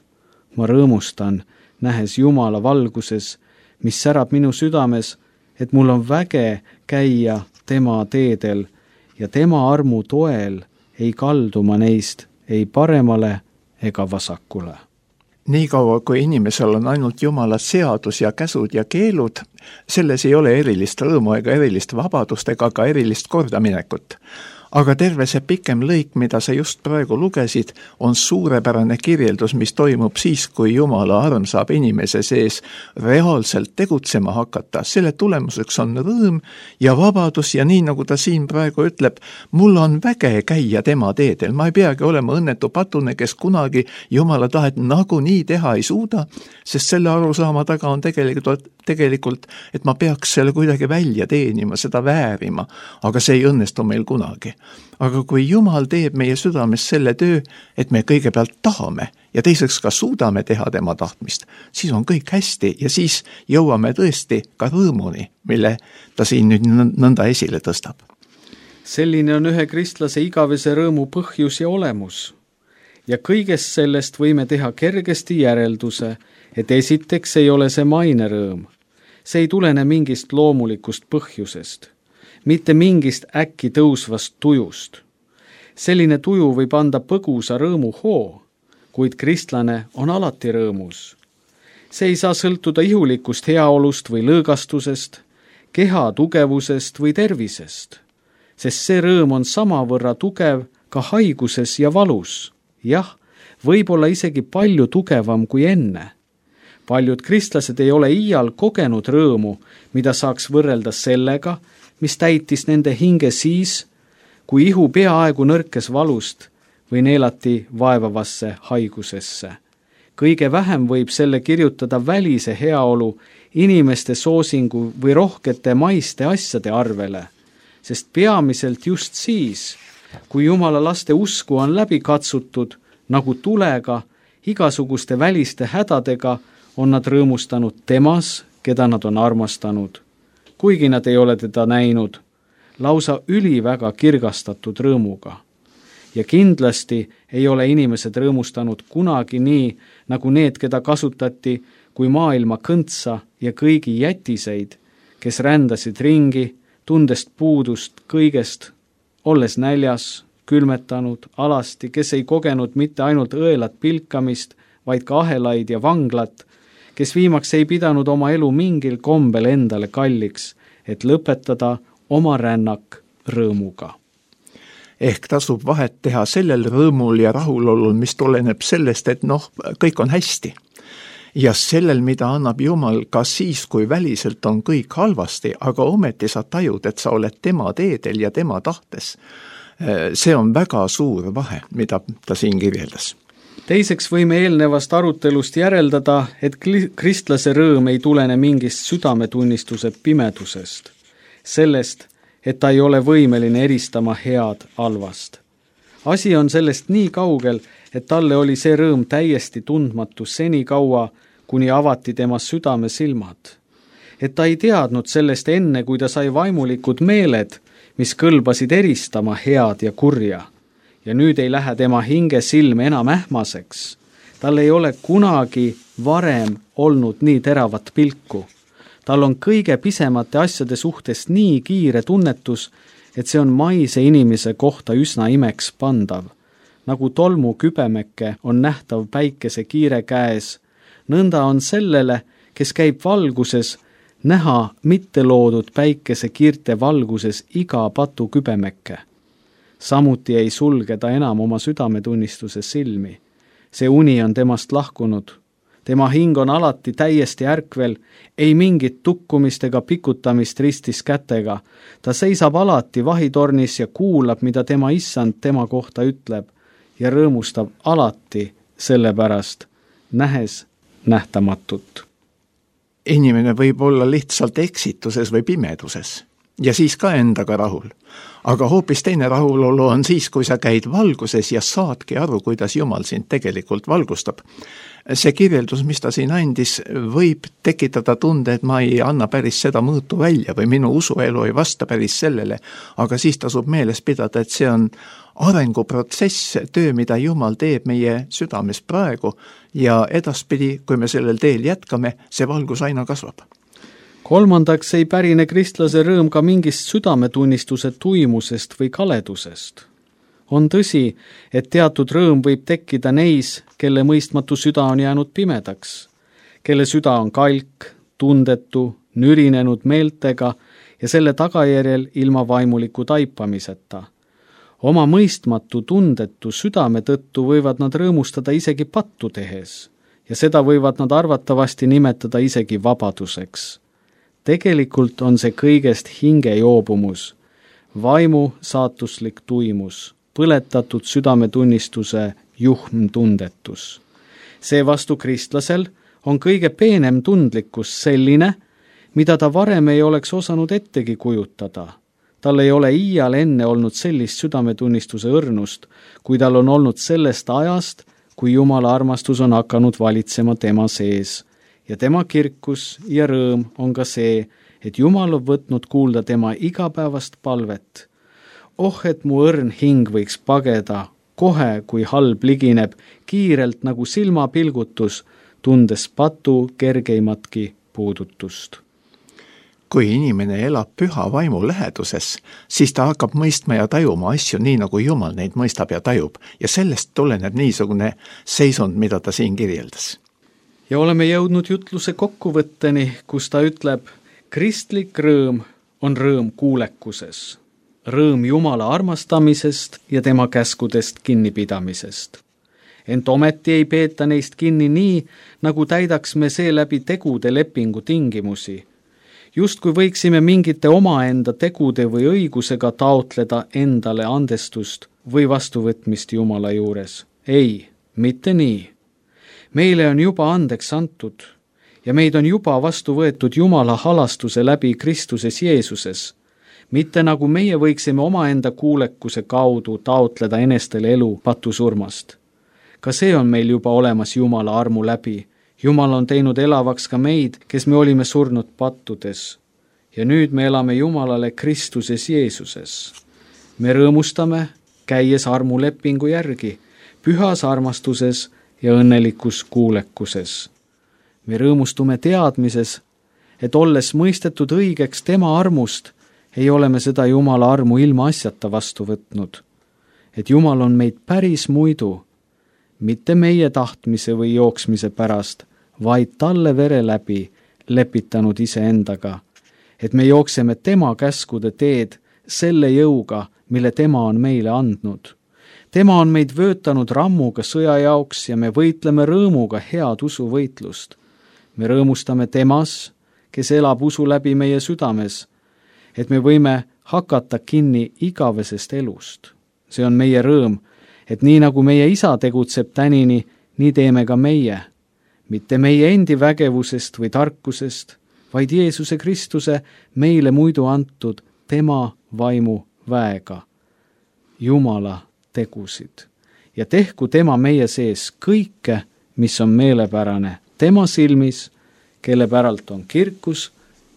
Ma rõõmustan, nähes Jumala valguses, mis särab minu südames, et mul on väge käia tema teedel ja tema armu toel ei kaldu ma neist ei paremale ega vasakule. Nii kaua, kui inimesel on ainult Jumala seadus ja käsud ja keelud, selles ei ole erilist rõõmu ega erilist vabadust ega ka erilist kordaminekut. aga terve see pikem lõik, mida sa just praegu lugesid, on suurepärane kirjeldus, mis toimub siis, kui Jumala arm saab inimese sees reaalselt tegutsema hakata. Selle tulemuseks on rõõm ja vabadus ja nii, nagu ta siin praegu ütleb, mul on väge käia tema teedel. Ma ei peagi olema õnnetu patune, kes kunagi Jumala tahet nagunii teha ei suuda, sest selle arusaama taga on tegelikult, tegelikult, et ma peaks selle kuidagi välja teenima, seda väärima, aga see ei õnnestu meil kunagi. Aga kui Jumal teeb meie südames selle töö, et me kõigepealt tahame ja teiseks ka suudame teha tema tahtmist, siis on kõik hästi ja siis jõuame tõesti ka rõõmuni, mille ta siin nüüd nõnda esile tõstab. Selline on ühe kristlase igavese rõõmu põhjus ja olemus. Ja kõigest sellest võime teha kergesti järelduse, et esiteks ei ole see maine rõõm. See ei tulene mingist loomulikust põhjusest, mitte mingist äkki tõusvast tujust. Selline tuju võib anda põgusa rõõmu hoo, kuid kristlane on alati rõõmus. See ei saa sõltuda ihulikust heaolust või lõõgastusest, keha tugevusest või tervisest, sest see rõõm on samavõrra tugev ka haiguses ja valus. Jah, võib-olla isegi palju tugevam kui enne. Paljud kristlased ei ole iial kogenud rõõmu, mida saaks võrrelda sellega, mis täitis nende hinge siis, kui ihu peaaegu nõrkes valust või neelati vaevavasse haigusesse. Kõige vähem võib selle kirjutada välise heaolu, inimeste soosingu või rohkete maiste asjade arvele, sest peamiselt just siis, kui Jumala laste usku on läbi katsutud, nagu tulega, igasuguste väliste hädadega, on nad rõõmustanud temas, keda nad on armastanud. Kuigi nad ei ole teda näinud, lausa üliväga kirgastatud rõõmuga. Ja kindlasti ei ole inimesed rõõmustanud kunagi nii, nagu need, keda kasutati kui maailma kõntsa ja kõigi jätiseid, kes rändasid ringi, tundest puudust kõigest, olles näljas, külmetanud, alasti, kes ei kogenud mitte ainult õelat pilkamist, vaid ka ahelaid ja vanglat, kes viimaks ei pidanud oma elu mingil kombel endale kalliks, et lõpetada oma rännak rõõmuga. Ehk tasub vahet teha sellel rõõmul ja rahulolul, mis tuleneb sellest, et noh, kõik on hästi. Ja sellel, mida annab Jumal ka siis, kui väliselt on kõik halvasti, aga ometi sa tajud, et sa oled tema teedel ja tema tahtes. See on väga suur vahe, mida ta siin kirjeldas. Teiseks võime eelnevast arutelust järeldada, et kristlase rõõm ei tulene mingist südametunnistuse pimedusest, sellest, et ta ei ole võimeline eristama head halvast. Asi on sellest nii kaugel, et talle oli see rõõm täiesti tundmatu seni kaua, kuni avati tema südame silmad. Et ta ei teadnud sellest enne, kui ta sai vaimulikud meeled, mis kõlbasid eristama head ja kurja. Ja nüüd ei lähe tema hinge silm enam ähmaseks. Tal ei ole kunagi varem olnud nii teravat pilku. Tal on kõige pisemate asjade suhtes nii kiire tunnetus, et see on maise inimese kohta üsna imeks pandav. Nagu tolmu kübemeke on nähtav päikese kiire käes, nõnda on sellele, kes käib valguses, näha mitte loodud päikese kiirte valguses iga patu kübemeke. Samuti ei sulge ta enam oma südametunnistuse silmi. See uni on temast lahkunud. Tema hing on alati täiesti ärkvel, ei mingit tukkumist ega pikutamist ristis kätega. Ta seisab alati vahitornis ja kuulab, mida tema issand tema kohta ütleb ja rõõmustab alati selle pärast, nähes nähtamatut. Inimene võib olla lihtsalt eksituses või pimeduses ja siis ka endaga rahul. Aga hoopis teine rahulolu on siis, kui sa käid valguses ja saadki aru, kuidas Jumal sind tegelikult valgustab. See kirjeldus, mis ta siin andis, võib tekitada tunde, et ma ei anna päris seda mõõtu välja või minu usuelu ei vasta päris sellele, aga siis tasub meeles pidada, et see on arenguprotsess, töö, mida Jumal teeb meie südames praegu ja edaspidi, kui me sellel teel jätkame, see valgus aina kasvab. Kolmandaks ei pärine kristlase rõõm ka mingist südametunnistuse tuimusest või kaledusest. On tõsi, et teatud rõõm võib tekkida neis, kelle mõistmatu süda on jäänud pimedaks, kelle süda on kalk, tundetu, nürinenud meeltega ja selle tagajärjel ilma vaimuliku taipamiseta. Oma mõistmatu tundetu südame tõttu võivad nad rõõmustada isegi pattu tehes ja seda võivad nad arvatavasti nimetada isegi vabaduseks. Tegelikult on see kõigest hingejoobumus, vaimu saatuslik tuimus, põletatud südametunnistuse juhm tundetus. Seevastu kristlasel on kõige peenem tundlikkus selline, mida ta varem ei oleks osanud ettegi kujutada. Tal ei ole iial enne olnud sellist südametunnistuse õrnust, kui tal on olnud sellest ajast, kui Jumala armastus on hakanud valitsema tema sees. Ja tema kirkus ja rõõm on ka see, et Jumal on võtnud kuulda tema igapäevast palvet. Oh, et mu õrn hing võiks pageda, kohe kui halb ligineb, kiirelt nagu silmapilgutus, tundes patu kergeimatki puudutust. Kui inimene elab püha vaimu läheduses, siis ta hakkab mõistma ja tajuma asju nii, nagu Jumal neid mõistab ja tajub. Ja sellest tuleneb niisugune seisund, mida ta siin kirjeldas. Ja oleme jõudnud jutluse kokkuvõtteni, kus ta ütleb, kristlik rõõm on rõõm kuulekuses, rõõm Jumala armastamisest ja tema käskudest kinnipidamisest. Ent ometi ei peeta neist kinni nii, nagu täidaks me seeläbi tegude lepingu tingimusi. Just kui võiksime mingite omaenda tegude või õigusega taotleda endale andestust või vastuvõtmist Jumala juures. Ei, mitte nii. Meile on juba andeks antud ja meid on juba vastu võetud Jumala halastuse läbi Kristuses Jeesuses. Mitte nagu meie võiksime omaenda kuulekuse kaudu taotleda enestele elu patusurmast. Ka see on meil juba olemas Jumala armu läbi. Jumal on teinud elavaks ka meid, kes me olime surnud pattudes. Ja nüüd me elame Jumalale Kristuses Jeesuses. Me rõõmustame, käies armulepingu järgi, pühas armastuses ja õnnelikus kuulekuses. Me rõõmustume teadmises, et olles mõistetud õigeks tema armust, ei ole me seda Jumala armu ilma asjata vastu võtnud. Et Jumal on meid päris muidu, mitte meie tahtmise või jooksmise pärast, vaid talle vere läbi lepitanud iseendaga, et me jookseme tema käskude teed selle jõuga, mille tema on meile andnud. Tema on meid vöötanud rammuga sõja jaoks ja me võitleme rõõmuga head usuvõitlust. Me rõõmustame temas, kes elab usu läbi meie südames, et me võime hakata kinni igavesest elust. See on meie rõõm, et nii nagu meie isa tegutseb tänini, nii teeme ka meie. Mitte meie endi vägevusest või tarkusest, vaid Jeesuse Kristuse meile muidu antud tema vaimu väega. Jumala tegusid. Ja tehku tema meie sees kõike, mis on meelepärane tema silmis, kelle päralt on kirkus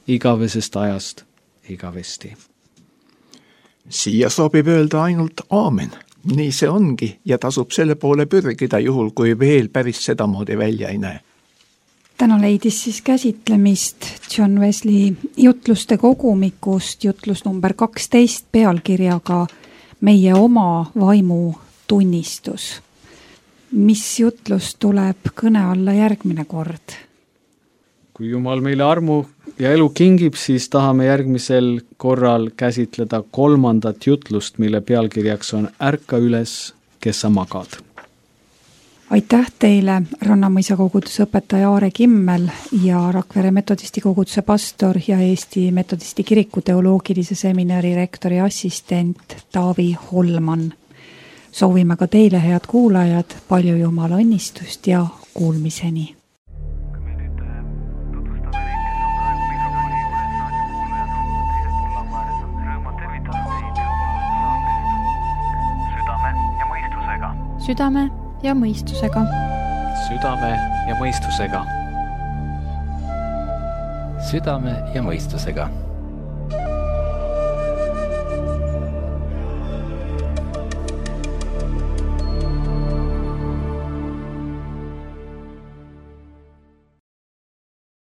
igavesest ajast igavesti. Siia sobib öelda ainult aamen. Nii see ongi ja tasub selle poole pürgida juhul, kui veel päris sedamoodi välja ei näe. Täna leidis siis käsitlemist John Wesley jutluste kogumikust jutlus number kaksteist pealkirjaga Meie oma vaimu tunnistus. Mis jutlus tuleb kõne alla järgmine kord? Kui Jumal meile armu ja elu kingib, siis tahame järgmisel korral käsitleda kolmandat jutlust, mille pealkirjaks on Ärka üles, kes sa magad. Aitäh teile, Rannamõisa koguduse õpetaja Aare Kimmel ja Rakvere metodisti koguduse pastor ja Eesti metodisti kiriku teoloogilise seminari rektori assistent Taavi Holman. Soovime ka teile, head kuulajad, palju Jumala õnnistust ja kuulmiseni. Südame ja mõistusega. Südame ja mõistusega. Südame ja mõistusega.